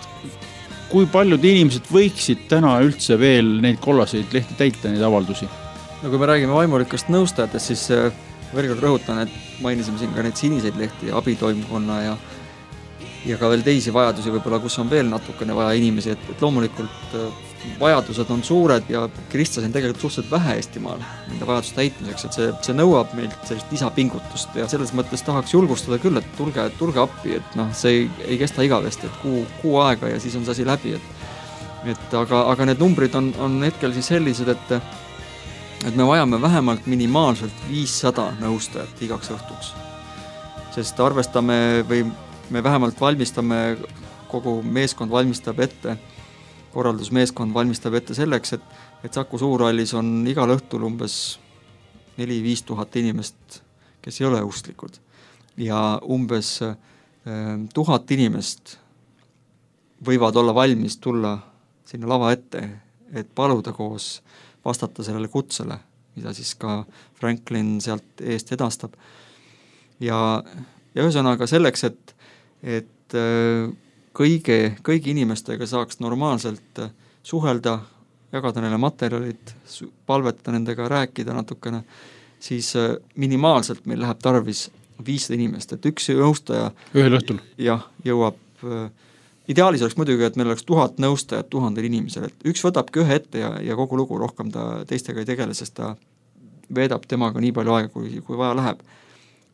kui paljud inimesed võiksid täna üldse veel neid kollaseid lehti täita, neid avaldusi? No kui me räägime vaimulikust nõustajatest, siis äh, veel kord rõhutan, et mainisime siin ka neid siniseid lehti, abitoimkonna ja ja ka veel teisi vajadusi võib-olla, kus on veel natukene vaja inimesi, et, et loomulikult äh, vajadused on suured ja kristlasi on tegelikult suhteliselt vähe Eestimaal nende vajaduste täitmiseks, et see, see nõuab meilt sellist lisapingutust ja selles mõttes tahaks julgustada küll, et tulge, tulge appi, et noh, see ei, ei kesta igavesti, et kuu, kuu aega ja siis on see asi läbi, et et aga, aga need numbrid on, on hetkel siis sellised, et et me vajame vähemalt minimaalselt viissada nõustajat igaks õhtuks. Sest arvestame või me vähemalt valmistame, kogu meeskond valmistab ette, korraldusmeeskond valmistab ette selleks, et, et Saku Suurhallis on igal õhtul umbes neli viis tuhat inimest, kes ei ole usklikud. Ja umbes eh, tuhat inimest võivad olla valmis tulla sinna lava ette, et paluda koos vastata sellele kutsele, mida siis ka Franklin sealt eest edastab. Ja, ja ühesõnaga selleks, et, et kõige, kõigi inimestega saaks normaalselt suhelda, jagada neile materjalid, palvetada nendega, rääkida natukene, siis minimaalselt meil läheb tarvis viissada inimest, et üks nõustaja ühel õhtul jah, jõuab, ideaalis oleks muidugi, et meil oleks tuhat nõustajat tuhandel inimesel, et üks võtabki ühe ette ja, ja kogu lugu rohkem ta teistega ei tegele, sest ta veedab temaga nii palju aega, kui, kui vaja läheb.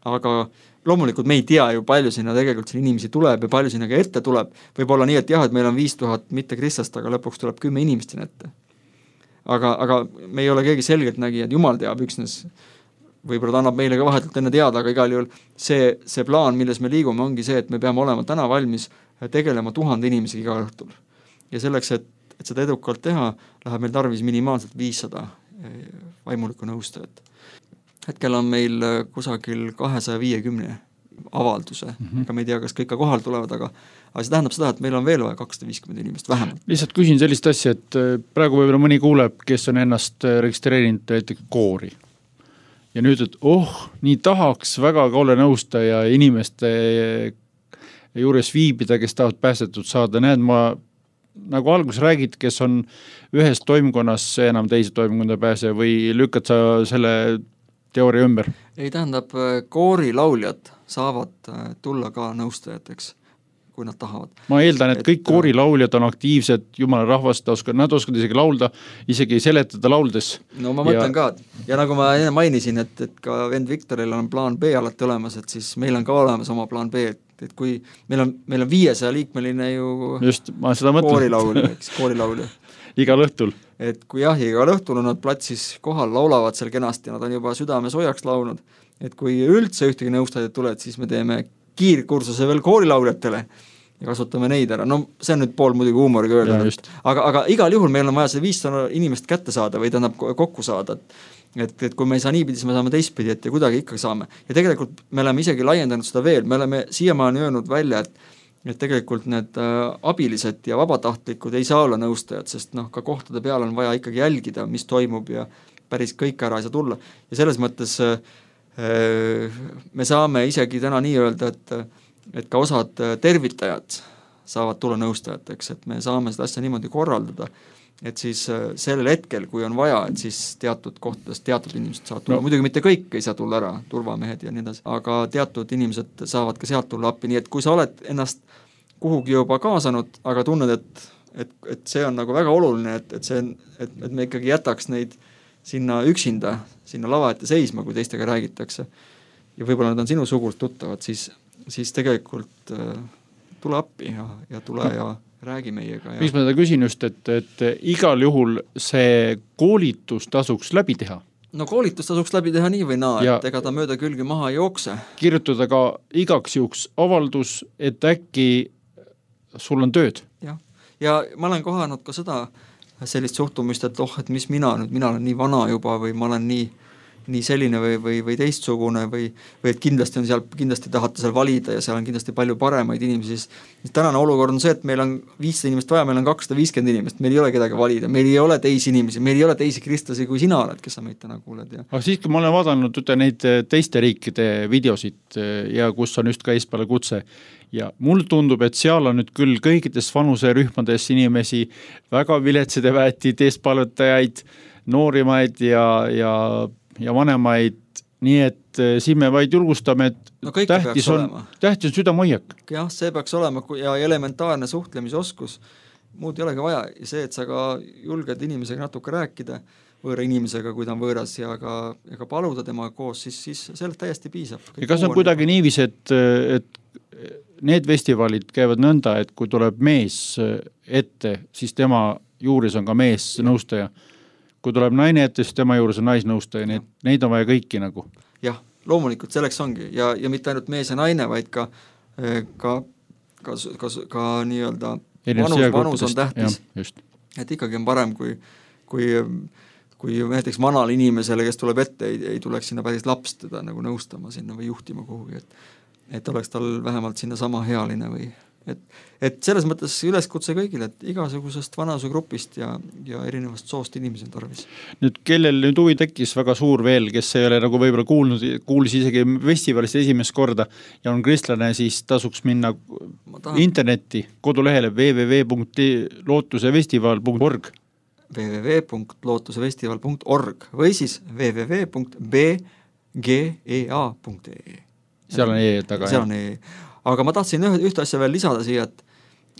Aga loomulikult me ei tea ju palju sinna tegelikult siin inimesi tuleb ja palju sinna ka ette tuleb. Võib olla nii, et jah, et meil on viis tuhat mitte kristlast, aga lõpuks tuleb kümme inimest sinna ette. Aga, aga me ei ole keegi selgelt nägi, et Jumal teab üksnes, võib-olla ta annab meile ka vahetult enne teada, aga igal juhul see, see plaan, milles me liigume, ongi see, et me peame olema täna valmis tegelema tuhande inimesi iga õhtul. Ja selleks, et, et seda edukalt teha, läheb meil tarvis minimaalselt viissada vaimulikku nõustajat. Hetkel on meil kusagil kahesaja viiekümne avalduse, mm-hmm. aga me ei tea, kas kõik ka kohal tulevad, aga, aga see tähendab seda, et meil on veel vaja kakssada viiskümmend inimest vähemalt. Lihtsalt küsin sellist asja, et praegu võib-olla mõni kuuleb, kes on ennast registreerinud näiteks koori. Ja nüüd, et oh, nii tahaks väga ka olla nõustaja inimeste juures viibida, kes tahavad päästetud saada. Näed, ma nagu alguses räägid, kes on ühes toimkonnas enam teise toimkonda pääse või lükkad sa selle teooria ümber? Ei tähendab, koorilauljad saavad tulla ka nõustajateks, kui nad tahavad. Ma eeldan, et, et kõik koorilauljad on aktiivsed, jumala rahvast, nad oskavad isegi laulda, isegi seletada lauldes. No ma mõtlen ja... ka, ja nagu ma enne mainisin, et, et ka vend Viktoril on plaan B alati olemas, et siis meil on ka olemas oma plaan B, et, et kui meil on, meil on viiesaja liikmeline ju just, ma seda mõtlen. Koorilaulja, eks, koorilaulja. Igal õhtul. Et kui jah, igal õhtul on nad platsis kohal, laulavad seal kenasti, nad on juba südame soojaks launud, et kui üldse ühtegi nõustajad tuled, siis me teeme kiirkursuse veel koorilauljatele ja kasutame neid ära. No see on nüüd pool muidugi huumoriga öelda, aga, aga igal juhul meil on vaja see viissada inimest kätte saada või tähendab kokku saada, et, et kui me ei saa niipidi, siis me saame teistpidi, et ja kuidagi ikkagi saame. Ja tegelikult me oleme isegi laiendanud seda veel, me oleme siiamaani öelnud välja, et et tegelikult need abilised ja vabatahtlikud ei saa olla nõustajad, sest noh, ka kohtade peal on vaja ikkagi jälgida, mis toimub ja päris kõik ära ei saa tulla. Ja selles mõttes me saame isegi täna nii öelda, et, et ka osad tervitajad saavad tulla nõustajateks, et me saame seda asja niimoodi korraldada, et siis sellel hetkel, kui on vaja, et siis teatud kohtadest teatud inimesed saavad tulla no., muidugi mitte kõik ei saa tulla ära, turvamehed ja nii edasi, aga teatud inimesed saavad ka sealt tulla appi, nii et kui sa oled ennast kuhugi juba kaasanud, aga tunned, et, et, et see on nagu väga oluline, et, et, see, et, et me ikkagi jätaks neid sinna üksinda, sinna lava ette seisma, kui teistega räägitakse ja võib-olla nad on sinu sugult tuttavad, siis, siis tegelikult äh, tule appi ja, ja tule no. ja räägi meiega. Miks ma seda küsin just, et, et igal juhul see koolitus tasuks läbi teha? No koolitus tasuks läbi teha nii või naa, ja et ega ta mööda külgi maha ei jookse. Kirjutada ka igaks juhuks avaldus, et äkki sul on tööd. Ja, ja ma olen kohanud ka seda sellist suhtumist, et oh, et mis mina nüüd, mina olen nii vana juba või ma olen nii nii selline või, või, või teistsugune või, või et kindlasti on seal, kindlasti tahate seal valida ja seal on kindlasti palju paremaid inimesi, siis tänane olukord on see, et meil on viissada inimest vaja, meil on kakssada viiskümmend inimest, meil ei ole kedagi valida, meil ei ole teisi inimesi, meil ei ole teisi kristlasi, kui sina oled, kes sa meid täna kuuled. Ja. Aga siiski ma olen vaadanud üte neid teiste riikide videosid ja kus on just ka eespeale kutse ja mul tundub, et seal on nüüd küll kõikides vanuserühmades inimesi, väga viletside väetid, eespalvetajaid, noorimaid ja, ja ja vanemaid, nii et siin me vaid julgustame, et no tähtis, on, tähtis on südamoiak. Jah, see peaks olema ja elementaarne suhtlemisoskus, muud ei olegi vaja. Ja see, et sa ka julged inimesega natuke rääkida, võõra inimesega, kui ta on võõras ja ka, ja ka paluda tema koos, siis, siis sellest täiesti piisab. Ja kas on kuidagi niivis, et, et need festivalid käivad nõnda, et kui tuleb mees ette, siis tema juures on ka mees nõustaja. Kui tuleb naine ette, siis tema juures on naisnõustaja, neid, neid on vaja kõiki nagu. Jah, loomulikult selleks ongi ja, ja mitte ainult mees ja naine, vaid ka, ka, ka, ka, ka nii-öelda vanus, vanus on tähtis. Ja, et ikkagi on parem, kui, kui, kui näiteks vanal inimesele, kes tuleb ette, ei, ei tuleks sinna päris laps teda nagu nõustama sinna või juhtima kuhugi, et, et oleks tal vähemalt sinna sama healine või Et, et selles mõttes üleskutse kõigile, et igasugusest vanasugrupist ja, ja erinevast soost inimesi on tarvis. Nüüd kellel nüüd huvi tekkis väga suur veel, kes ei ole nagu võib-olla kuulnud, kuulis isegi festivalist esimest korda ja on kristlane, siis tasuks minna internetti kodulehele w w w punkt lootusefestival punkt org w w w punkt lootusefestival punkt org või siis w w w punkt b g e a punkt e e seal on e taga. Seal on e Aga ma tahtsin üht, üht asja veel lisada siia, et,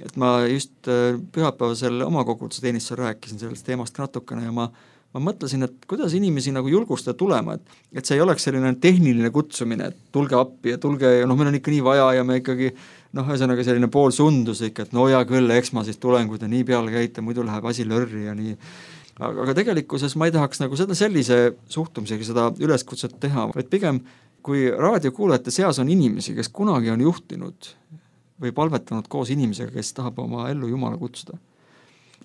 et ma just pühapäevasel oma koguduse teenistusel rääkisin sellest teemast natukene ja ma, ma mõtlesin, et kuidas inimesi nagu julgustada tulema, et, et see ei oleks selline tehniline kutsumine, et tulge appi ja tulge, ja noh, meil on ikka nii vaja ja me ikkagi, noh, ühesõnaga selline pool sundus ikka, et no ja küll, eks ma siis tulen, kui te nii peale käite, muidu läheb asi lörri ja nii. Aga, aga tegelikkuses ma ei tahaks nagu seda sellise suhtumisega seda üleskutset teha, vaid pigem kui raadiokuulajate seas on inimesi, kes kunagi on juhtinud või palvetanud koos inimesega, kes tahab oma ellu Jumala kutsuda.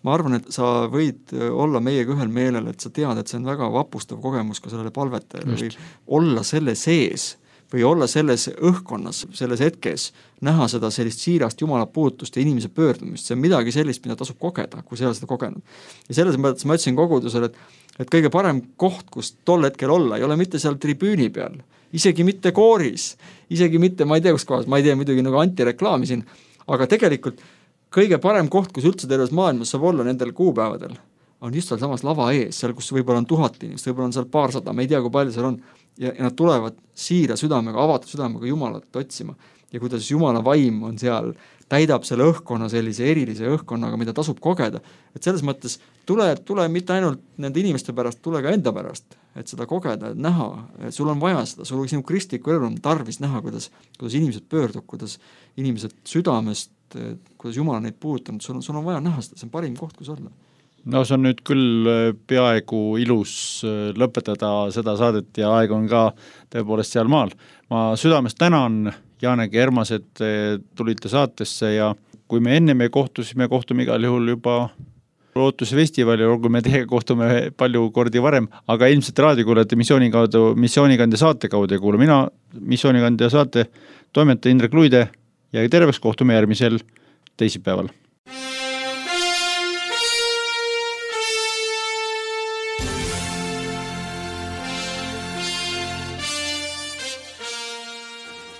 Ma arvan, et sa võid olla meiega ühel meelel, et sa tead, et see on väga vapustav kogemus ka sellele palvetajale või olla selle sees või olla selles õhkonnas, selles hetkes, näha seda sellist siirast Jumala puutust ja inimese pöördumist. See on midagi sellist, mida tasub kogeda, kui sa ei ole seda kogenud. Ja selles mõttes ma ütlesin kogudusele, et, et kõige parem koht, kus tol hetkel olla, ei ole mitte seal tribüüni peal, isegi mitte kooris, isegi mitte, ma ei tea, kus kohas, ma ei tea muidugi nagu antireklaami siin, aga tegelikult kõige parem koht, kus üldse terves maailmas saab olla nendel kuupäevadel, on just seal samas lava ees, seal, kus võib-olla on tuhat inimest, võib-olla on seal paarsada, ma ei tea, kui palju seal on, ja, ja nad tulevad siira südamega, avatud südamega Jumalat otsima ja kuidas Jumala vaim on seal, täidab selle õhkkonna sellise erilise õhkkonnaga, mida tasub kogeda. Et selles mõttes tule, tule mitte ainult nende inimeste pärast, tule ka enda pärast, et seda kogeda, et näha, et sul on vaja seda, sul sinu kristliku elu on tarvis näha, kuidas, kuidas inimesed pöördub, kuidas inimesed südamest, kuidas Jumal neid puudutanud, sul on, sul on vaja näha seda, see on parim koht, kus olla. No see on nüüd küll peaaegu ilus lõpetada seda saadet ja aeg on ka tõepoolest seal maal. Ma südamest tänan Jaanegi Ermas, et tulite saatesse ja kui me enne me kohtusime, kohtume igal juhul juba Lootuse festivali, olgu me teiega kohtume palju kordi varem, aga ilmselt raadiokuulajate missiooni kaudu, missioonikandja saate kaudu ja kuulu mina missioonikandja saate toimetaja Indrek Luide ja terveks kohtume järgmisel teisipäeval.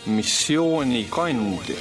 Missioonikandja.